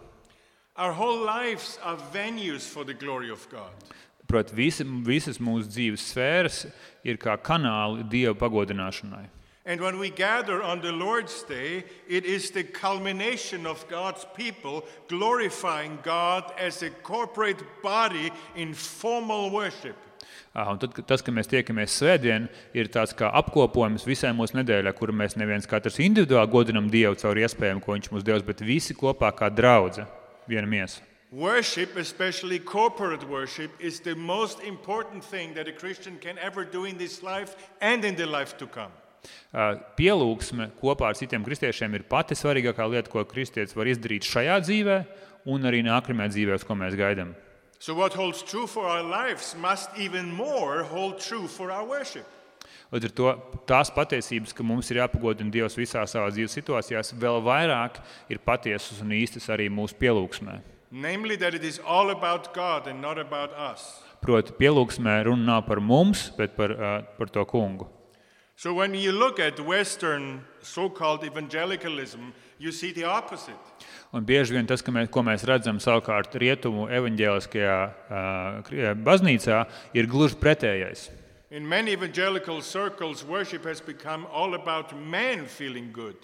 Speaker 2: Our whole lives are venues for the glory of God.
Speaker 3: Proti, visas mūsu dzīves sfēras ir kā kanāli Dieva pagodināšanai.
Speaker 2: And when we gather on the Lord's Day, it is the culmination of God's people glorifying God as a corporate body in formal worship.
Speaker 3: Un tad, tas, ka mēs tiekamies svētdien, ir tāds kā apkopojums visai mūsu nedēļai, kur mēs neviens katrs individuāli godinam Dievu caur iespējām, ko viņš mums devis, bet visi kopā kā draudze, viena miesa.
Speaker 2: Worship, especially corporate worship, is the most important thing that a Christian can ever do in this life and in the life to come.
Speaker 3: Pielūgsme kopā ar citiem kristiešiem ir pati svarīgākā lieta, ko kristietis var izdarīt šajā dzīvē un arī nākamajā dzīvē, uz ko mēs gaidām.
Speaker 2: So what holds true for our lives must even more hold true for our worship.
Speaker 3: Līdz ar to tās patiesības, ka mums ir jāpagodina Dievs visā savā dzīves situācijās, vēl vairāk ir patiesas un īstas arī mūsu pielūgsmē.
Speaker 2: Namely, that it is all about God and not about us.
Speaker 3: Proti, pielūgsmē runa nav par mums, bet par to kungu.
Speaker 2: So when you look at Western so-called evangelicalism, you see the opposite.
Speaker 3: Un bieži vien tas, ko mēs redzam savukārt rietumu evaņģēliskajā baznīcā, ir gluži pretējais.
Speaker 2: In many evangelical circles, worship has become all about man feeling good.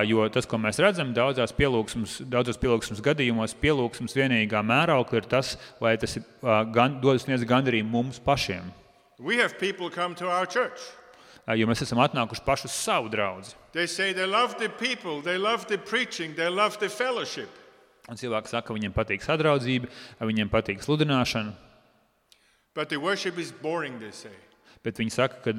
Speaker 3: Jo tas, ko mēs redzam daudzos pielūgsmes gadījumos, pielūgsmes vienīgā mēraukla ir tas, vai tas sniedz gandarījumu mums pašiem.
Speaker 2: We have people come to our church.
Speaker 3: Jo mēs esam atnākuši paši uz savu draudzi.
Speaker 2: They say they love the people, they love the preaching, they love the fellowship.
Speaker 3: Un cilvēki saka, ka viņiem patīk sadraudzība, viņiem patīk sludināšana.
Speaker 2: But the worship is boring, they say.
Speaker 3: Bet viņi saka, ka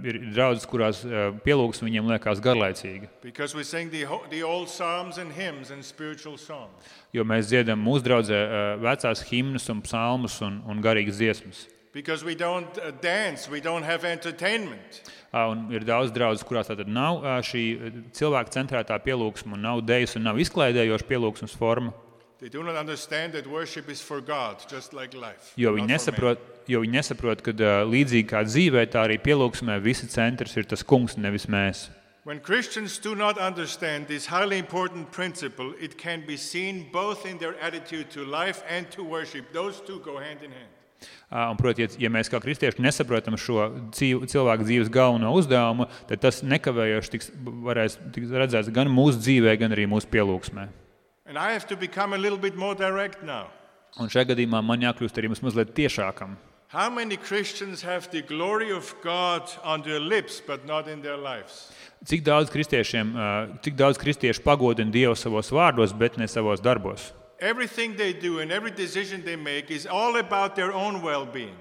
Speaker 3: ir draudzes, kurās pielūgsme viņiem liekas garlaicīga.
Speaker 2: Because we sing the old psalms and hymns and spiritual songs.
Speaker 3: Jo mēs dziedam mūsu draudzē vecās himnas un psalmus un garīgas dziesmas.
Speaker 2: Because we don't dance, we don't have entertainment.
Speaker 3: Un ir daudz draudzes, kurās tātad nav šī cilvēka centrētā pielūgsme, un nav dejas un nav izklaidējoša pielūgsmes forma.
Speaker 2: They do not understand that worship is for God, just like life.
Speaker 3: Jo viņi nesaprot, ka līdzīgi kā dzīvē, tā arī pielūgsmē visi centrs ir tas kungs, nevis mēs.
Speaker 2: When Christians do not understand this highly important principle, it can be seen both in their attitude to life and to worship. Those two go hand in hand.
Speaker 3: Un, proti, ja mēs kā kristieši nesaprotam šo cilvēku dzīves galveno uzdevumu, tad tas nekavējoši varēs tikt redzēts gan mūsu dzīvē, gan arī mūsu pielūgsmē.
Speaker 2: And I have to become a little bit more direct now.
Speaker 3: Un šajā gadījumā man jākļūst arī mazliet tiešākam.
Speaker 2: How many Christians have the glory of God on their lips, but not in their lives?
Speaker 3: Cik daudz kristiešu pagodina Dievu savos vārdos, bet ne savos darbos?
Speaker 2: Everything they do and every decision they make is all about their own well-being.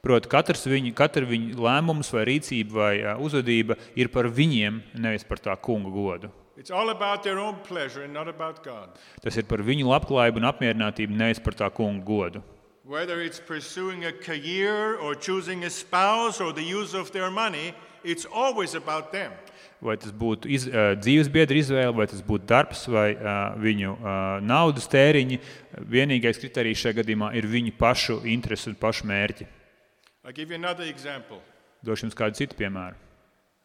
Speaker 3: Proti, katra viņa lēmums vai rīcība vai uzvedība ir par viņiem, nevis par tā kunga godu.
Speaker 2: It's all about their own pleasure and not about God.
Speaker 3: Tas ir par viņu labklājību un apmierinātību, nevis par tā kunga godu.
Speaker 2: Whether it's pursuing a career or choosing a spouse or the use of their money, it's always about them.
Speaker 3: Vai tas būtu dzīvesbiedra izvēle, vai tas būtu darbs, vai viņu naudas tēriņi, vienīgais kriterijs šajā gadījumā ir viņu pašu interesi un pašu mērķi.
Speaker 2: I'll give you another example.
Speaker 3: Došu jums kādu citu piemēru.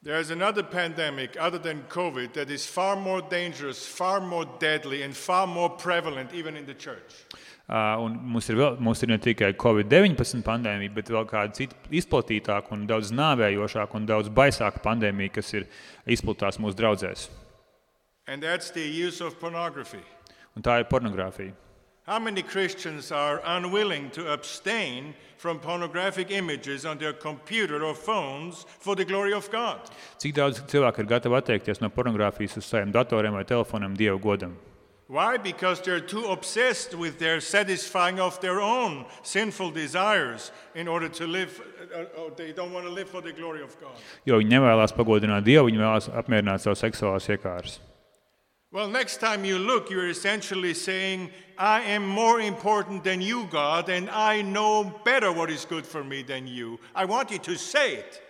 Speaker 2: There is another pandemic other than COVID that is far more dangerous, far more deadly and far more prevalent even in the church.
Speaker 3: Un mums ir ne tikai COVID-19 pandēmija, bet vēl kāda cita izplatītāka un daudz nāvējošāka un daudz baisāka pandēmija, kas ir izplatās mūsu draudzēs.
Speaker 2: And that's the use of pornography.
Speaker 3: Un tā ir pornogrāfija.
Speaker 2: How many Christians are unwilling to abstain from pornographic images on their computer or phones for the glory of God?
Speaker 3: Cik daudz cilvēku ir gatavi atteikties no pornogrāfijas uz saviem datoriem vai telefoniem Dieva godam?
Speaker 2: Why? Because they're too obsessed with their satisfying of their own sinful desires in order to live, or they don't want to live for the glory of God.
Speaker 3: Jo viņi nevēlas pagodināt Dievu, viņi vēlas apmierināt savu seksuālās iekāras.
Speaker 2: Well, next time you look, you're essentially saying, I am more important than you, God, and I know better what is good for me than you. I want you to say it.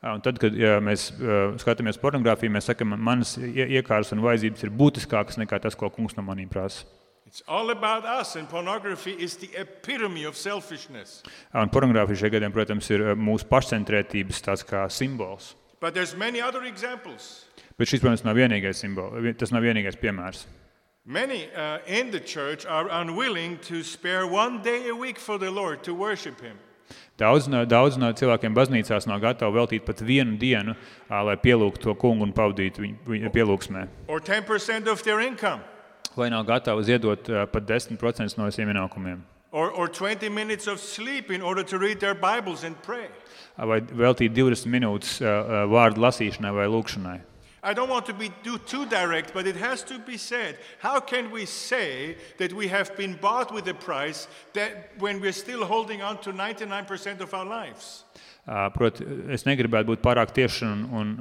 Speaker 3: Un tad, kad mēs skatāmies pornogrāfiju, mēs sakam, manas iekāras un vajadzības ir būtiskākas nekā tas, ko kungs no manīm prasa.
Speaker 2: It's all about us, and pornography is the epitome of selfishness.
Speaker 3: Un pornogrāfija šajā gadījumā, protams, ir mūsu pašcentrētības tāds kā simbols.
Speaker 2: But there's many other examples.
Speaker 3: Bet šis, protams, nav vienīgais simbols, tas nav vienīgais piemērs.
Speaker 2: Many in the church are unwilling to spare one day a week for the Lord to worship Him.
Speaker 3: Daudz no cilvēkiem baznīcās nav gatavi veltīt pat vienu dienu, lai pielūgtu to kungu un pavadītu viņu pielūgsmē.
Speaker 2: Or 10% of their income.
Speaker 3: Vai nav gatavi ziedot pat 10% no saviem ienākumiem.
Speaker 2: Or 20 minutes of sleep in order to read their Bibles and pray.
Speaker 3: Vai veltīt 20 minūtes vārdu lasīšanai vai lūgšanai.
Speaker 2: I don't want to be too direct, but it has to be said. How can we say that we have been bought with a price that when we're still holding on to 99% of our lives?
Speaker 3: Proti, es negribētu būt pārāk tieši un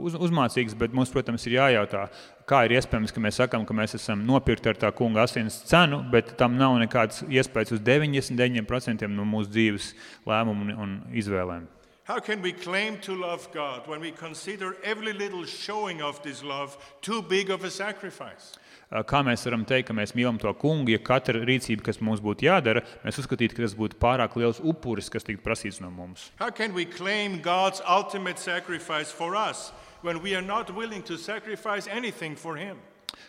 Speaker 3: uzmācīgs, bet mums, protams, ir jājautā, kā ir iespējams, ka mēs sakam, ka mēs esam nopirkti ar tā kunga asins cenu, bet tam nav nekāds iespējas uz 99% no mūsu dzīves lēmumu un izvēlēm.
Speaker 2: How can we claim to love God when we consider every little showing of this love too big of a sacrifice?
Speaker 3: Kā mēs varam teikt, ka mēs mīlam to kungu, ja katra rīcība, kas mums būtu jādara, mēs uzskatītu, ka tas būtu pārāk liels upuris, kas tiktu prasīts no mums?
Speaker 2: How can we claim God's ultimate sacrifice for us when we are not willing to sacrifice anything for Him?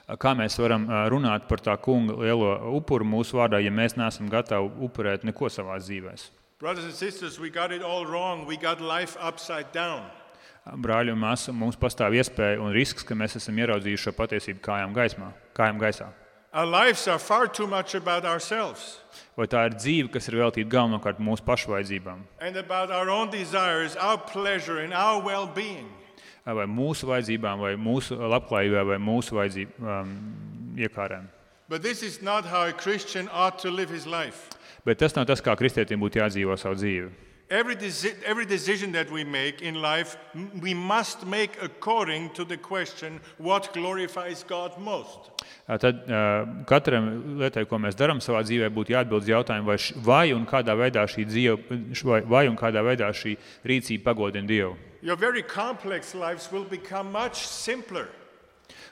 Speaker 3: Kā mēs varam runāt par tā kunga lielo upuru mūsu vārdā, ja mēs neesam gatavi upurēt neko savās dzīvēs?
Speaker 2: Brothers and sisters, we got it all wrong. We got life upside down.
Speaker 3: Brāļi un māsas, mums pastāv iespēja un risks, ka mēs esam ieraudzījuši šo patiesību kājām gaisā.
Speaker 2: Our lives are far too much about ourselves
Speaker 3: Vai tā ir dzīve, kas ir veltīta galvenokārt mūsu pašu vajadzībām?
Speaker 2: and about our own desires, our pleasure, and our well-being.
Speaker 3: Vai mūsu vajadzībām, vai mūsu labklājībai, vai mūsu vajadzību iekārēm?
Speaker 2: But this is not how a Christian ought to live his life.
Speaker 3: Bet tas nav tas, kā kristietim būtu jādzīvo savu dzīvi.
Speaker 2: Every decision that we make in life, we must make according to the question, what glorifies God most?
Speaker 3: Tad katram lietai, ko mēs darām savā dzīvē, būtu jāatbild uz jautājumu, vai un kādā veidā šī rīcība pagodina Dievu.
Speaker 2: Your very complex lives will become much simpler.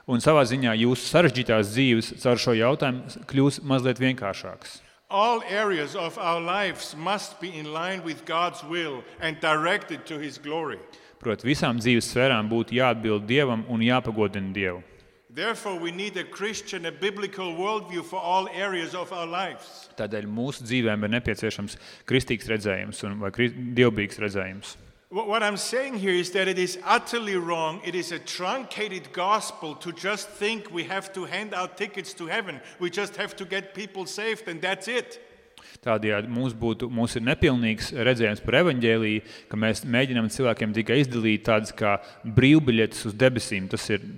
Speaker 3: Un savā ziņā jūsu sarežģītās dzīves caur šo jautājumu kļūs mazliet vienkāršākas.
Speaker 2: All areas of our lives must be in line with God's will and directed to His glory.
Speaker 3: Proti, visām dzīves sfērām būtu jāatbild Dievam un jāpagodina Dievu.
Speaker 2: Therefore, we need a Christian, a biblical worldview for all areas of our lives.
Speaker 3: Tādēļ mūsu dzīvēm ir nepieciešams kristīgs redzējums vai dievbijīgs redzējums.
Speaker 2: What I'm saying here is that it is utterly wrong. It is a truncated gospel to just think we have to hand out tickets to heaven. We just have to get people saved and that's it.
Speaker 3: Tādējādi mums ir nepilnīgs redzējums par evaņģēliju, ka mēs mēģinām cilvēkiem tikai izdalīt tādas kā brīvbiļetes uz debesīm.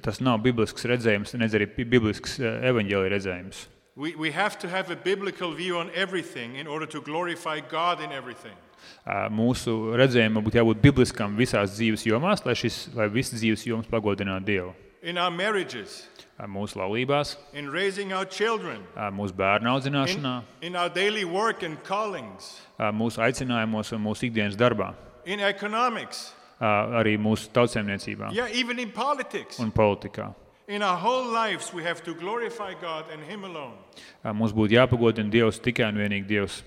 Speaker 3: Tas nav biblisks redzējums, nedz arī biblisks evaņģēlija redzējums.
Speaker 2: We have to have a biblical view on everything in order to glorify God in everything.
Speaker 3: Mūsu redzējumam būtu jābūt bibliskam visās dzīves jomās, lai visas dzīves jomas pagodinātu Dievu.
Speaker 2: In our marriages,
Speaker 3: mūsu laulībās,
Speaker 2: in raising our children,
Speaker 3: mūsu bērnu audzināšanā,
Speaker 2: in our daily work and callings,
Speaker 3: mūsu aicinājumos un mūsu ikdienas darbā,
Speaker 2: in economics,
Speaker 3: arī mūsu tautsēmniecībā
Speaker 2: even in politics.
Speaker 3: un politikā.
Speaker 2: In our whole lives, we have to glorify God and Him alone.
Speaker 3: Mums būtu jāpagodina Dievs, tikai un vienīgi Dievs.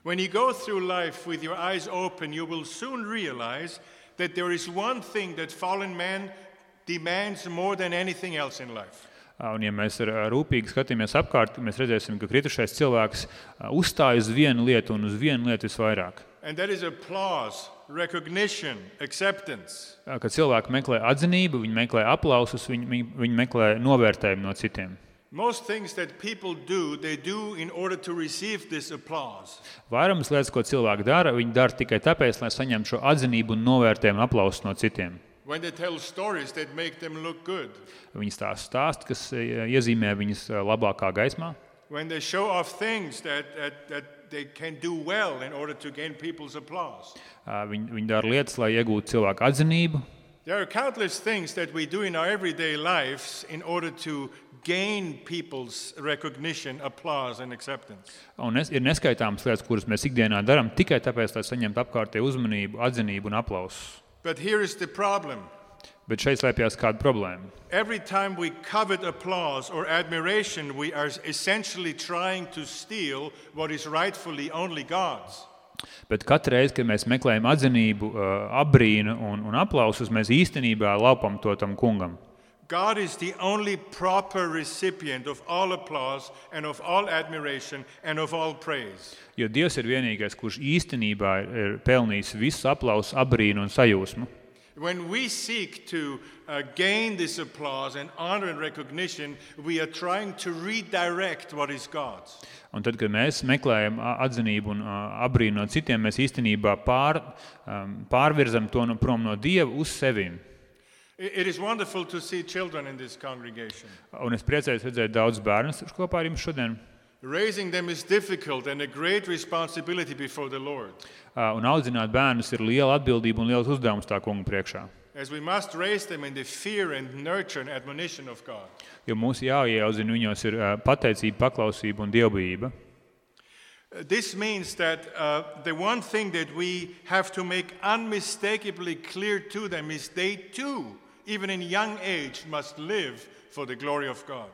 Speaker 2: When you go through life with your eyes open, you will soon realize that there is one thing that fallen man demands more than anything else in life.
Speaker 3: Un ja mēs rūpīgi skatāmies apkārt, mēs redzēsim, ka kritušais cilvēks uzstāj uz vienu lietu un uz vienu lietu visvairāk.
Speaker 2: And that is applause, recognition, acceptance.
Speaker 3: Kad cilvēki meklē atzinību, viņi meklē aplausus, viņi meklē novērtējumu no citiem.
Speaker 2: Most things that people do, they do in order to receive this applause.
Speaker 3: Vairums lietas, ko cilvēki dara, viņi dara tikai tāpēc, lai saņemtu šo atzinību un novērtējumu aplausus no citiem.
Speaker 2: When they tell stories that make them look good.
Speaker 3: Viņi stāst, kas iezīmē viņus labākā gaismā.
Speaker 2: When they show off things that they can do well in order to gain people's applause.
Speaker 3: Viņi dara lietas, lai iegūtu cilvēku atzinību.
Speaker 2: There are countless things that we do in our everyday lives in order to gain people's recognition, applause and acceptance.
Speaker 3: Un ir neskaitāmas lietas, kuras mēs ikdienā darām tikai tāpēc, lai saņemtu apkārtēju uzmanību, atzinību un aplausus.
Speaker 2: But here is the problem.
Speaker 3: Bet šeit slēpjas kāda problēma.
Speaker 2: Every time we covet applause or admiration, we are essentially trying to steal what is rightfully only God's.
Speaker 3: Bet katru reizi, kad mēs meklējam atzinību, apbrīnu un aplausus, mēs īstenībā laupam to tam kungam.
Speaker 2: God is the only proper recipient of all applause and of all admiration and of all praise.
Speaker 3: Jo Dievs ir vienīgais, kurš īstenībā ir pelnījis visu aplausu, apbrīnu un sajūsmu.
Speaker 2: When we seek to gain this applause and honor and recognition, we are trying to redirect what is God's.
Speaker 3: Un tad, kad mēs meklējam atzinību un apbrīnu no citiem, mēs īstenībā pārvirzam to prom no Dieva uz sevim.
Speaker 2: It is wonderful to see children in this congregation.
Speaker 3: Un es priecājos redzēt daudz bērnus kopā ar jums šodien.
Speaker 2: Raising them is difficult and a great responsibility before the Lord.
Speaker 3: Un audzināt bērnus ir liela atbildība un liels uzdevums tā kunga priekšā.
Speaker 2: As we must raise them in the fear and nurture and admonition of God.
Speaker 3: Jo mums jāieaudzina viņos ir pateicība, paklausība un dievbijība.
Speaker 2: This means that the one thing that we have to make unmistakably clear to them is they too, even in young age, must live for the glory of God.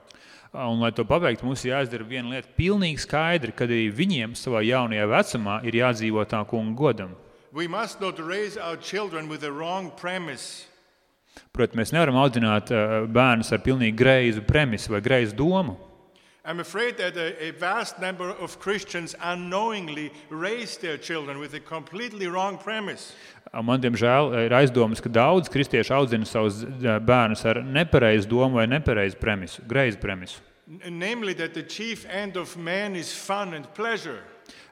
Speaker 3: Un, lai to pabeigtu, mums jāizdara viena lieta pilnīgi skaidri, kad arī viņiem savā jaunajā vecumā ir jādzīvo tā kunga godam.
Speaker 2: We must not raise our children with a wrong premise.
Speaker 3: Protams, mēs nevaram audzināt bērnus ar pilnīgi greizu premisu vai greizu domu.
Speaker 2: I'm afraid that a vast number of Christians unknowingly raise their children with a completely wrong premise.
Speaker 3: Man, diemžēl, ir aizdomas, ka daudz kristieši audzina savus bērnus ar nepareizu domu vai nepareizu premisu, greizu premisu.
Speaker 2: Namely, that the chief end of man is fun and pleasure.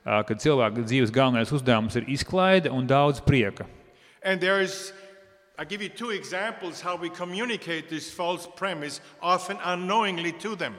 Speaker 3: Kad cilvēka dzīves galvenais uzdevums ir izklaide un daudz prieka.
Speaker 2: And I give you two examples how we communicate this false premise, often unknowingly to them.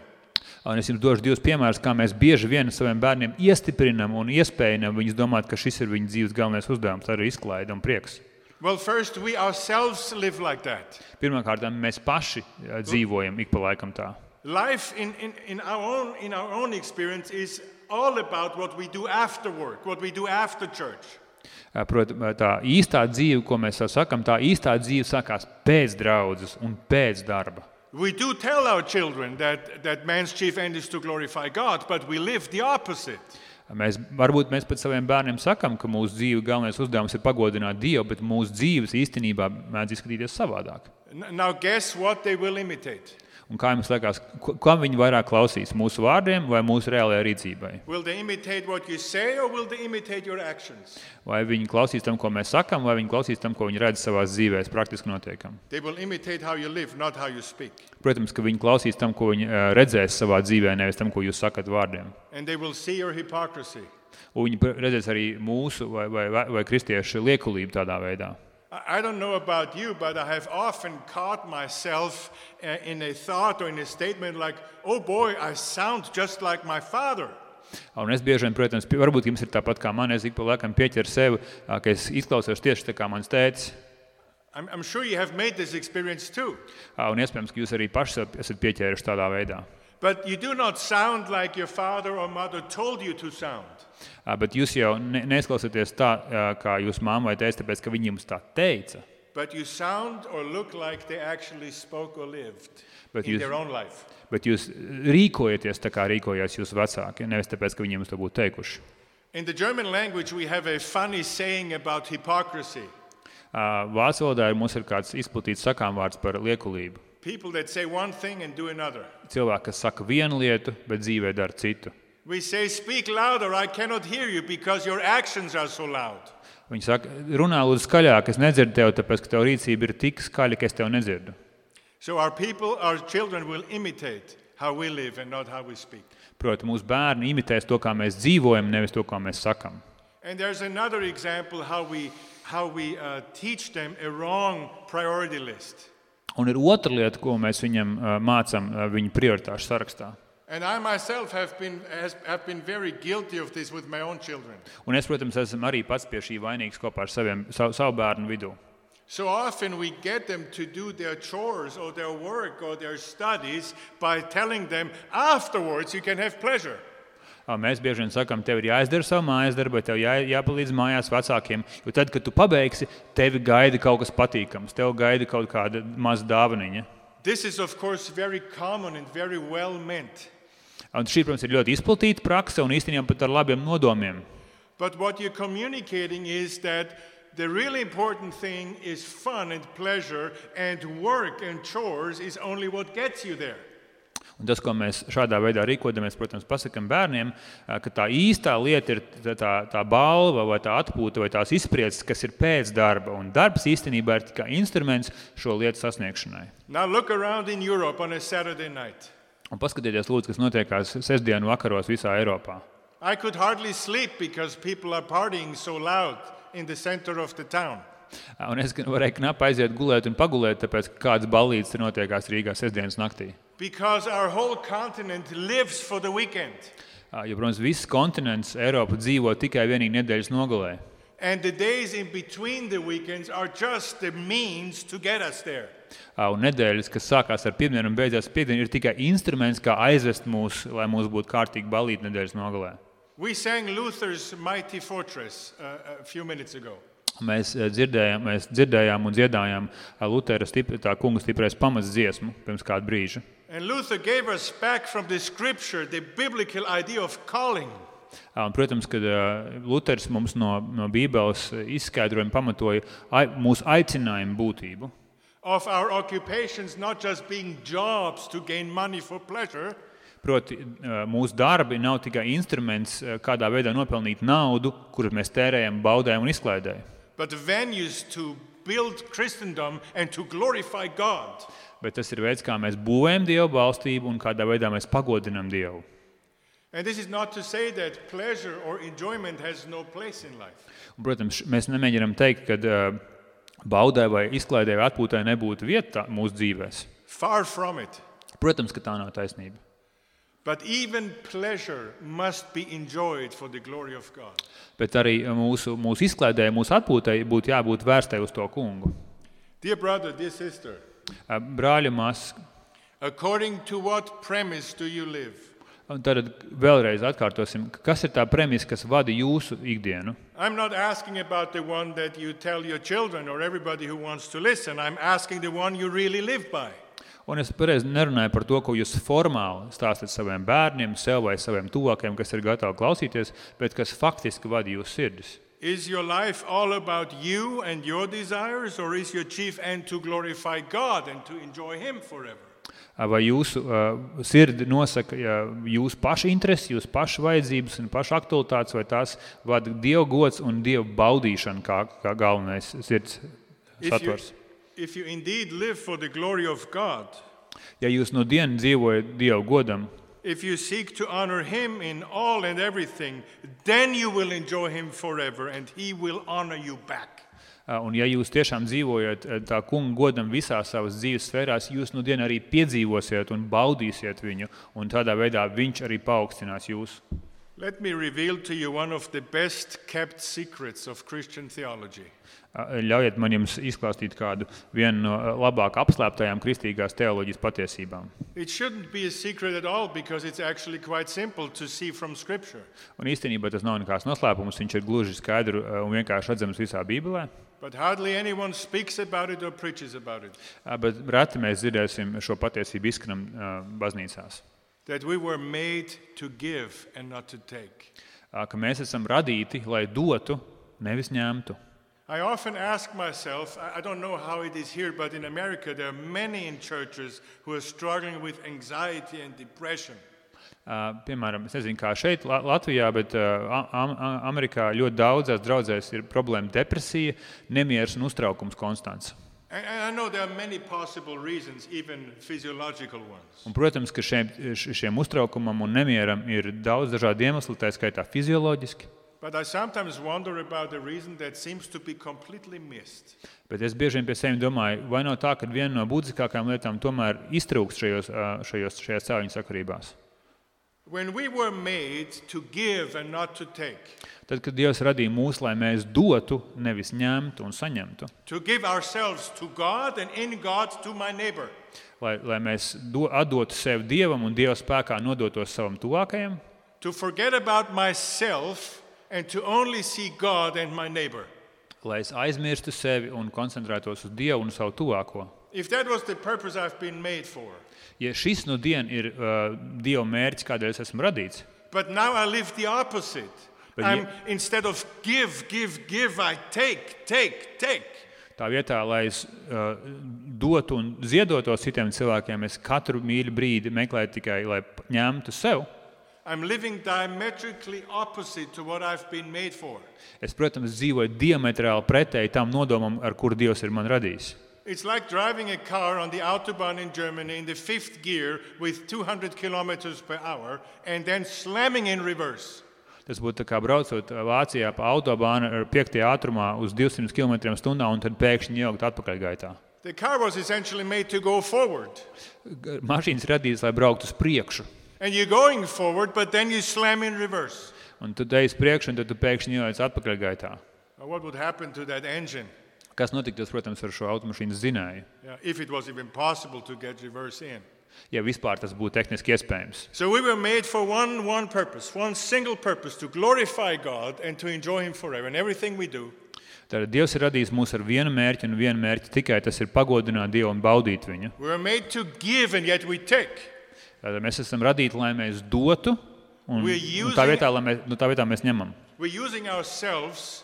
Speaker 3: Un es jums došu 2 piemērus, kā mēs bieži vien saviem bērniem iestiprinam un iespējam viņus domāt, ka šis ir viņu dzīves galvenais uzdevums, arī izklaide un prieks.
Speaker 2: Well, first, we ourselves live like that.
Speaker 3: Pirmkārt, mēs paši dzīvojam ik pa laikam tā.
Speaker 2: Life in our own experience is all about what we do after work, what we do after church.
Speaker 3: Protams, tā īstā dzīve, ko mēs sakam, tā īstā dzīve sākās pēc draudzes un pēc darba.
Speaker 2: We do tell our children that man's chief end is to glorify God, but we live the opposite.
Speaker 3: Varbūt mēs pat saviem bērniem sakam, ka mūsu dzīve galvenais uzdevums ir pagodināt Dievu, bet mūsu dzīves īstenībā mēdz izskatīties savādāk.
Speaker 2: Now guess what they will imitate?
Speaker 3: Un kā jums liekas, kam viņi vairāk klausīs, mūsu vārdiem vai mūsu reālajai rīcībai?
Speaker 2: Will they imitate what you say or will they imitate your actions?
Speaker 3: Vai viņi klausīs tam, ko mēs sakam, vai viņi klausīs tam, ko viņi redz savās dzīvēs, praktiski notiekam?
Speaker 2: They will imitate how you live, not how you speak.
Speaker 3: Protams, ka viņi klausīs tam, ko viņi redzēs savā dzīvē, nevis tam, ko jūs sakat vārdiem.
Speaker 2: And they will see your hypocrisy.
Speaker 3: Un viņi redzēs arī mūsu vai kristiešu liekulību tādā veidā.
Speaker 2: I don't know about you, but I have often caught myself in a thought or in a statement like, oh boy, I sound just like my father.
Speaker 3: Un es bieži vien, protams, varbūt jums ir tāpat kā man, es ik pa laikam pieķeru sevi, ka es izklausos tieši tā kā mans tētis.
Speaker 2: I'm sure you have made this experience too.
Speaker 3: Un iespējams, ka jūs arī paši esat pieķēruši tādā veidā.
Speaker 2: But you do not sound like your father or mother told you to sound.
Speaker 3: Bet jūs jau neizklausāties tā, kā jūs mamma vai tēvs, tāpēc, ka viņi jums tā teica.
Speaker 2: But you sound or look like they actually spoke or lived in their own life.
Speaker 3: Bet jūs rīkojaties tā, kā rīkojās jūsu vecāki, nevis tāpēc, ka viņi jums to būtu teikuši.
Speaker 2: In the German language we have a funny saying about hypocrisy.
Speaker 3: Vācu valodā mums ir kāds izplatīts sakāmvārds par liekulību.
Speaker 2: People that say one thing and do another.
Speaker 3: Cilvēki, kas saka vienu lietu, bet dzīvē dara citu.
Speaker 2: We say, speak louder, I cannot hear you because your actions are so loud.
Speaker 3: Viņi saka, runā lūdzu skaļāk, es nedzirdu tevi, tāpēc, ka tev rīcība ir tik skaļa, ka es tev nedzirdu.
Speaker 2: So our children will imitate how we live and not how we speak.
Speaker 3: Proti, mūsu bērni imitēs to, kā mēs dzīvojam, nevis to, kā mēs sakam.
Speaker 2: And there's another example how we teach them a wrong priority list.
Speaker 3: Un ir otra lieta, ko mēs viņam mācam viņu prioritāšu sarakstā.
Speaker 2: And I myself have been very guilty of this with my own children.
Speaker 3: Un es, protams, esmu arī pats pie šī vainīgs kopā ar savu bērnu vidū.
Speaker 2: So often we get them to do their chores or their work or their studies by telling them afterwards you can have pleasure.
Speaker 3: Mēs bieži vien sakam, tev ir jāizdara savu mājas darbu, tev jāpalīdz mājās vecākiem, jo tad, kad tu pabeigsi, tevi gaida kaut kas patīkams, tev gaida kaut kāda maza dāvaniņa.
Speaker 2: This is of course very common and very well meant.
Speaker 3: Un šī, protams, ir ļoti izplatīta prakse un īstenībā pat ar labiem nodomiem.
Speaker 2: But what you're communicating is that the really important thing is fun and pleasure, and work and chores is only what gets you there.
Speaker 3: Un tas, ko mēs šādā veidā rīkojamies, protams, pasakam bērniem, ka tā īstā lieta ir tā balva vai tā atpūta vai tās izspriedzes, kas ir pēc darba. Un darbs īstenībā ir tikai instruments šo lietu sasniegšanai.
Speaker 2: Now look around in Europe on a Saturday night.
Speaker 3: Un paskatieties, lūdzu, kas notiekās sestdienu vakaros visā Eiropā.
Speaker 2: I could hardly sleep because people are partying so loud in the center of the town.
Speaker 3: Un es varēju knapi aiziet gulēt un pagulēt, tāpēc, ka kāds ballītes notiekās Rīgā sestdienas naktī.
Speaker 2: Because our whole continent lives for the weekend.
Speaker 3: Jo, protams, viss kontinents Eiropa dzīvo tikai vienīgi nedēļas nogalē.
Speaker 2: And the days in between the weekends are just the means to get us there.
Speaker 3: Un nedēļas, kas sākās ar pirmdienu un beidzās piekdienu, ir tikai instruments, kā aizvest mūs, lai mums būtu kārtīgi ballīti nedēļas nogalē.
Speaker 2: We sang Luther's Mighty Fortress a few minutes ago.
Speaker 3: Mēs dzirdējām un dziedājām Lutera tā kunga stiprais pamats dziesmu pirms kādu brīžu.
Speaker 2: And Luther gave us back from the scripture the biblical idea of calling.
Speaker 3: Un, protams, kad Luters mums no Bībeles izskaidrojuma pamatoja mūsu aicinājumu būtību.
Speaker 2: Of our occupations not just being jobs to gain money for pleasure,
Speaker 3: Proti, mūsu darbi nav tikai instruments, kādā veidā nopelnīt naudu, kuru mēs tērējam baudēm un izklaidēm.
Speaker 2: but venues to build Christendom and to glorify God.
Speaker 3: Bet tas ir veids, kā mēs būvējam Dievu valstību un kādā veidā mēs pagodinam Dievu.
Speaker 2: And this is not to say that pleasure or enjoyment has no place in life.
Speaker 3: Un, protams, mēs nemēģinām teikt, ka baudē vai izklaidē vai atpūtai nebūtu vieta mūsu dzīvēs.
Speaker 2: Far from it.
Speaker 3: Protams, ka tā nav taisnība.
Speaker 2: But even pleasure must be enjoyed for the glory of God.
Speaker 3: Bet arī mūsu izklaidē, mūsu atpūtai būtu jābūt vērstai uz to kungu.
Speaker 2: Dear brother, dear sister,
Speaker 3: Brāļi, māsas,
Speaker 2: according to what premise do you live?
Speaker 3: tad vēlreiz atkārtosim, kas ir tā premisa, kas vada jūsu ikdienu?
Speaker 2: I'm not asking about the one that you tell your children or everybody who wants to listen. I'm asking the one you really live by.
Speaker 3: Un es pareizi nerunāju par to, ko jūs formāli stāstat saviem bērniem, sev vai saviem tuvākajiem, kas ir gatavi klausīties, bet kas faktiski vada jūsu sirdis.
Speaker 2: Is your life all about you and your desires, or is your chief end to glorify God and to enjoy Him forever?
Speaker 3: Vai jūsu sirdi nosaka jūsu pašu interesi, jūsu pašu vajadzības un pašu aktualitātes, vai tās vada Dieva gods un Dieva baudīšana kā galvenais sirds satvars?
Speaker 2: If you indeed live for the glory of God,
Speaker 3: Ja jūs no dienu dzīvojat Dieva godam,
Speaker 2: if you seek to honor Him in all and everything, then you will enjoy Him forever and He will honor you back.
Speaker 3: Un ja jūs tiešām dzīvojat tā kunga godam visās savas dzīves sfērās, jūs no dienu arī piedzīvosiet un baudīsiet viņu, un tādā veidā viņš arī paaugstinās jūs.
Speaker 2: Let me reveal to you one of the best kept secrets of Christian theology.
Speaker 3: Ļaujiet man jums izklāstīt vienu no labāk apslēptajām kristīgās teoloģijas patiesībām.
Speaker 2: It shouldn't be a secret at all because it's actually quite simple to see from Scripture.
Speaker 3: Un īstenībā tas nav nekāds noslēpums, viņš ir gluži skaidru un vienkārši redzams visā Bībelē.
Speaker 2: But hardly anyone speaks about it or preaches about it.
Speaker 3: Bet reti mēs dzirdēsim šo patiesību izskanam baznīcās.
Speaker 2: That we were made to give and not to take.
Speaker 3: Ka mēs esam radīti, lai dotu, nevis ņemtu.
Speaker 2: I often ask myself, I don't know how it is here, but in America there are many in churches who are struggling with anxiety and depression.
Speaker 3: Piemēram, es nezinu, kā šeit Latvijā, bet Amerikā ļoti daudzās draudzēs ir problēma depresija, nemieris un uztraukums konstants.
Speaker 2: And I know there are many possible reasons, even physiological ones.
Speaker 3: Un, protams, ka šiem uztraukumam un nemieram ir daudz dažādu iemeslu, tā skaitā fizioloģiski.
Speaker 2: But I sometimes wonder about the reason that seems to be completely missed.
Speaker 3: Bet es bieži vien pie sevis domāju, vai nav tā, ka viena no būtiskākajām lietām tomēr iztrūkst šajās cēliņu sakarībās.
Speaker 2: When we were made to give and not to take.
Speaker 3: Tad, kad Dievs radīja mūs, lai mēs dotu, nevis ņemtu un saņemtu.
Speaker 2: To give ourselves to God and in God to my neighbor.
Speaker 3: Lai mēs atdotu sevi Dievam un Dieva spēkā nodotos savam tuvākajam.
Speaker 2: To forget about myself and to only see God and my neighbor.
Speaker 3: Lai es aizmirstu sevi un koncentrētos uz Dievu un savu tuvāko.
Speaker 2: If that was the purpose I've been made for.
Speaker 3: Ja šis no diena ir Dieva mērķis, kādēļ es esmu radīts.
Speaker 2: But now I live the opposite. Instead of give, I take.
Speaker 3: Tā vietā, lai es dotu un ziedotos citiem cilvēkiem, es katru mīļu brīdi meklēju tikai, lai ņemtu sev.
Speaker 2: I'm living diametrically opposite to what I've been made for.
Speaker 3: Es, protams, dzīvoju diametrāli pretēji tam nodomam, ar kuru Dievs ir man radījis.
Speaker 2: It's like driving a car on the Autobahn in Germany in the 5th gear with 200 kilometers per hour and then slamming in reverse.
Speaker 3: Tas būtu tā kā braucot Vācijā pa autobānu ar 5. ātrumā uz 200 km/h un tad pēkšņi iejaukt atpakaļgaitā.
Speaker 2: The car was essentially made to go forward.
Speaker 3: Mašīnas radītas, lai brauktu uz priekšu.
Speaker 2: And you're going forward, but then you slam in reverse.
Speaker 3: Un tu ej uz priekšu, un tad tu pēkšņi iejauc atpakaļgaitā.
Speaker 2: What would happen to that engine?
Speaker 3: Kas notiktos, protams, ar šo automašīnas dzinēju?
Speaker 2: If it was even possible to get reverse in.
Speaker 3: Ja vispār tas būtu tehniski iespējams.
Speaker 2: So we were made for one purpose, one single purpose, to glorify God and to enjoy Him forever in everything we do.
Speaker 3: Tātad Dievs ir radījis mūs ar vienu mērķi un vienu mērķi tikai tas ir pagodināt Dievu un baudīt viņu.
Speaker 2: We were made to give and yet we take.
Speaker 3: Tātad mēs esam radīti, lai mēs dotu un tā vietā mēs ņemam.
Speaker 2: We're using ourselves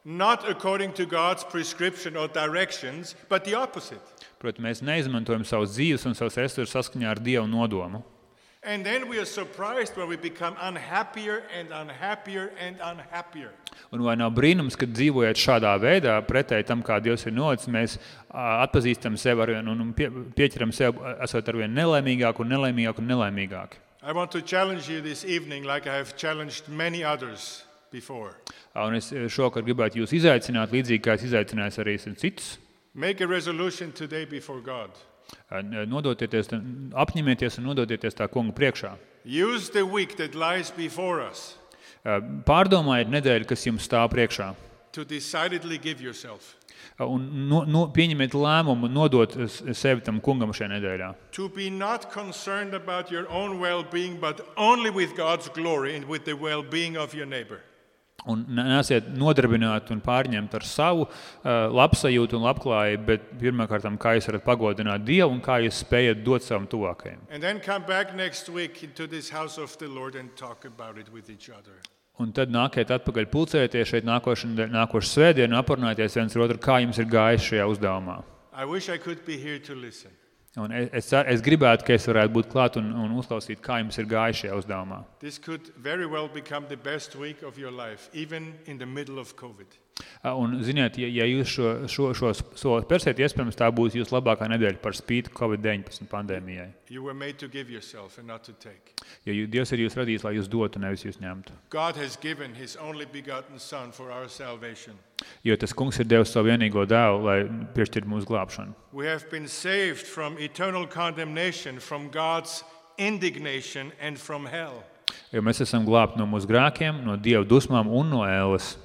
Speaker 2: not according to God's prescription or directions, but the opposite.
Speaker 3: Protams, mēs neizmantojam savus dzīves un savus resursus saskaņā ar Dievu nodomu.
Speaker 2: And then we are surprised when we become unhappier and unhappier and unhappier.
Speaker 3: Un vai nav brīnums, ka dzīvojot šādā veidā, pretēji tam, kā Dievs ir nolicis, mēs atpazīstam sevi arvien un pieķeram sevi, esot arvien nelaimīgāk un nelaimīgāk un nelaimīgāk.
Speaker 2: I want to challenge you this evening like I have challenged many others before.
Speaker 3: Un es šovakar gribētu jūs izaicināt, līdzīgi kā es izaicinājis arī citus.
Speaker 2: Make a resolution today before God.
Speaker 3: Apņemieties un nododieties tā kunga priekšā.
Speaker 2: Use the week that lies before us.
Speaker 3: Pārdomājiet nedēļu, kas jums stāv priekšā.
Speaker 2: To decidedly give yourself.
Speaker 3: Un pieņemiet lēmumu nodot sevi tam kungam šajā nedēļā.
Speaker 2: To be not concerned about your own well-being, but only with God's glory and with the well-being of your neighbor.
Speaker 3: Un neesiet nodarbināti un pārņemti ar savu labsajūtu un labklājību, bet pirmkārt, kā jūs varat pagodināt Dievu un kā jūs spējat dot savam tuvākajam.
Speaker 2: And then come back next week into this house of the Lord and talk about it with each other.
Speaker 3: Un tad nākiet atpakaļ pulcēties šeit nākošu svētdienu un aprunāties viens ar otru, kā jums ir gājis šajā uzdevumā.
Speaker 2: I wish I could be here to listen.
Speaker 3: Un es gribētu, ka es varētu būt klāt un uzklausīt, kā jums ir gājis šajā uzdevumā.
Speaker 2: This could very well become the best week of your life, even in the middle of COVID.
Speaker 3: Un ziniet, ja jūs šo soli persiet, iespējams tā būs jūsu labākā nedēļa par spīti COVID-19 pandēmijai.
Speaker 2: You were made to give yourself and not to take.
Speaker 3: Jo Dievs ir jūs radījis, lai jūs dotu, nevis jūs ņemtu.
Speaker 2: God has given His only begotten Son for our salvation.
Speaker 3: Jo tas kungs ir devis savu vienīgo dēlu, lai piešķirtu mūsu glābšanu.
Speaker 2: We have been saved from eternal condemnation, from God's indignation and from hell.
Speaker 3: Jo mēs esam glābti no mūsu grēkiem, no Dieva dusmām un no ēles.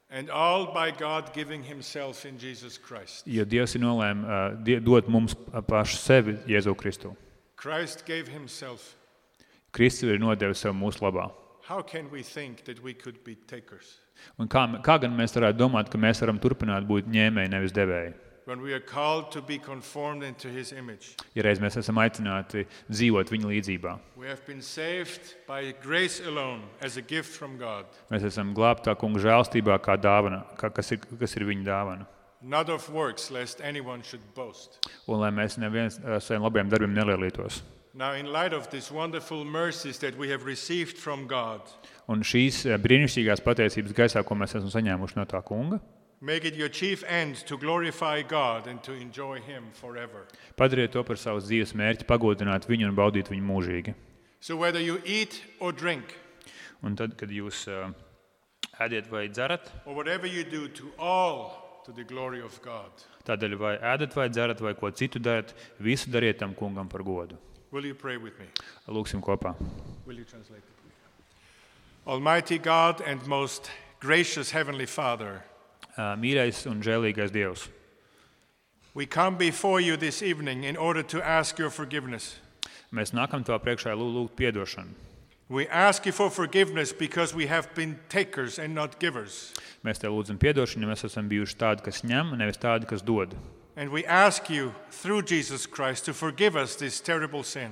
Speaker 2: And all by God giving Himself in Jesus Christ.
Speaker 3: Jo Dievs ir nolēma dot mums pašu sevi Jēzu Kristu.
Speaker 2: Christ gave Himself.
Speaker 3: Kristus ir nodevis sev mūsu labā.
Speaker 2: How can we think that we could be takers?
Speaker 3: Un kā gan mēs varētu domāt, ka mēs varam turpināt būt ņēmēji, nevis devēji?
Speaker 2: When we are called to be conformed into His image.
Speaker 3: Ja reiz mēs esam aicināti dzīvot viņa līdzībā.
Speaker 2: We have been saved by grace alone, as a gift from God.
Speaker 3: Mēs esam glābti tā kunga žēlstībā kā dāvana, kas ir viņa dāvana.
Speaker 2: Not of works, lest anyone should boast.
Speaker 3: Un lai mēs neviens saviem labiem darbiem nelielītos.
Speaker 2: Now, in light of these wonderful mercies that we have received from God,
Speaker 3: un šīs brīnišķīgās pateicības gaisā, ko mēs esam saņēmuši no tā kunga,
Speaker 2: make it your chief end to glorify God and to enjoy Him forever.
Speaker 3: Padariet to par savas dzīves mērķi, pagodināt viņu un baudīt viņu mūžīgi.
Speaker 2: So whether you eat or drink,
Speaker 3: un tad, kad jūs ēdiet vai dzerat,
Speaker 2: or whatever you do, to the glory of God.
Speaker 3: Tādēļ vai ēdat vai dzerat vai ko citu darat, visu dariet tam kungam par godu.
Speaker 2: Will you pray with me?
Speaker 3: Lūksim kopā.
Speaker 2: Will you translate it? Almighty God and most gracious Heavenly Father,
Speaker 3: mīļais un žēlīgais Dievs,
Speaker 2: we come before you this evening in order to ask your forgiveness.
Speaker 3: Mēs nākam tavā priekšā lūgt piedošanu.
Speaker 2: We ask you for forgiveness because we have been takers and not givers.
Speaker 3: Mēs tev lūdzam piedošanu, jo mēs esam bijuši tādi, kas ņem, nevis tādi, kas dod.
Speaker 2: And we ask you through Jesus Christ to forgive us this terrible sin.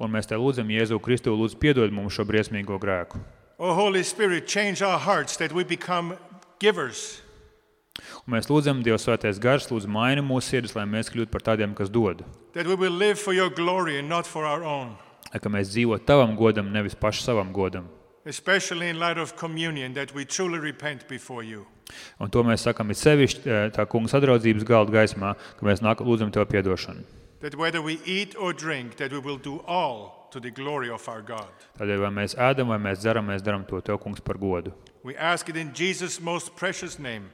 Speaker 3: Un mēs tev lūdzam Jēzu Kristu, lūdzu piedod mums šo briesmīgo grēku.
Speaker 2: O Holy Spirit, change our hearts that we become givers.
Speaker 3: Un mēs lūdzam, Dievs svētais gars, lūdzu maini mūsu sirdis, lai mēs kļūtu par tādiem, kas dod.
Speaker 2: That we will live for your glory and not for our own.
Speaker 3: Ka mēs dzīvot tavam godam, nevis paši savam godam.
Speaker 2: Especially in light of communion, that we truly repent before you.
Speaker 3: Un to mēs sakam it sevišķi tā kunga sadraudzības galda gaismā, ka mēs lūdzam tev piedošanu.
Speaker 2: That whether we eat or drink, that we will do all to the glory of our God.
Speaker 3: Tādēļ vai mēs ēdam, vai mēs dzeram, mēs daram to tev kungs par godu.
Speaker 2: We ask it in Jesus' most precious name.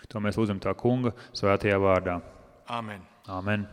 Speaker 3: To mēs lūdzam tā kunga svētajā vārdā.
Speaker 2: Amen.
Speaker 3: Amen.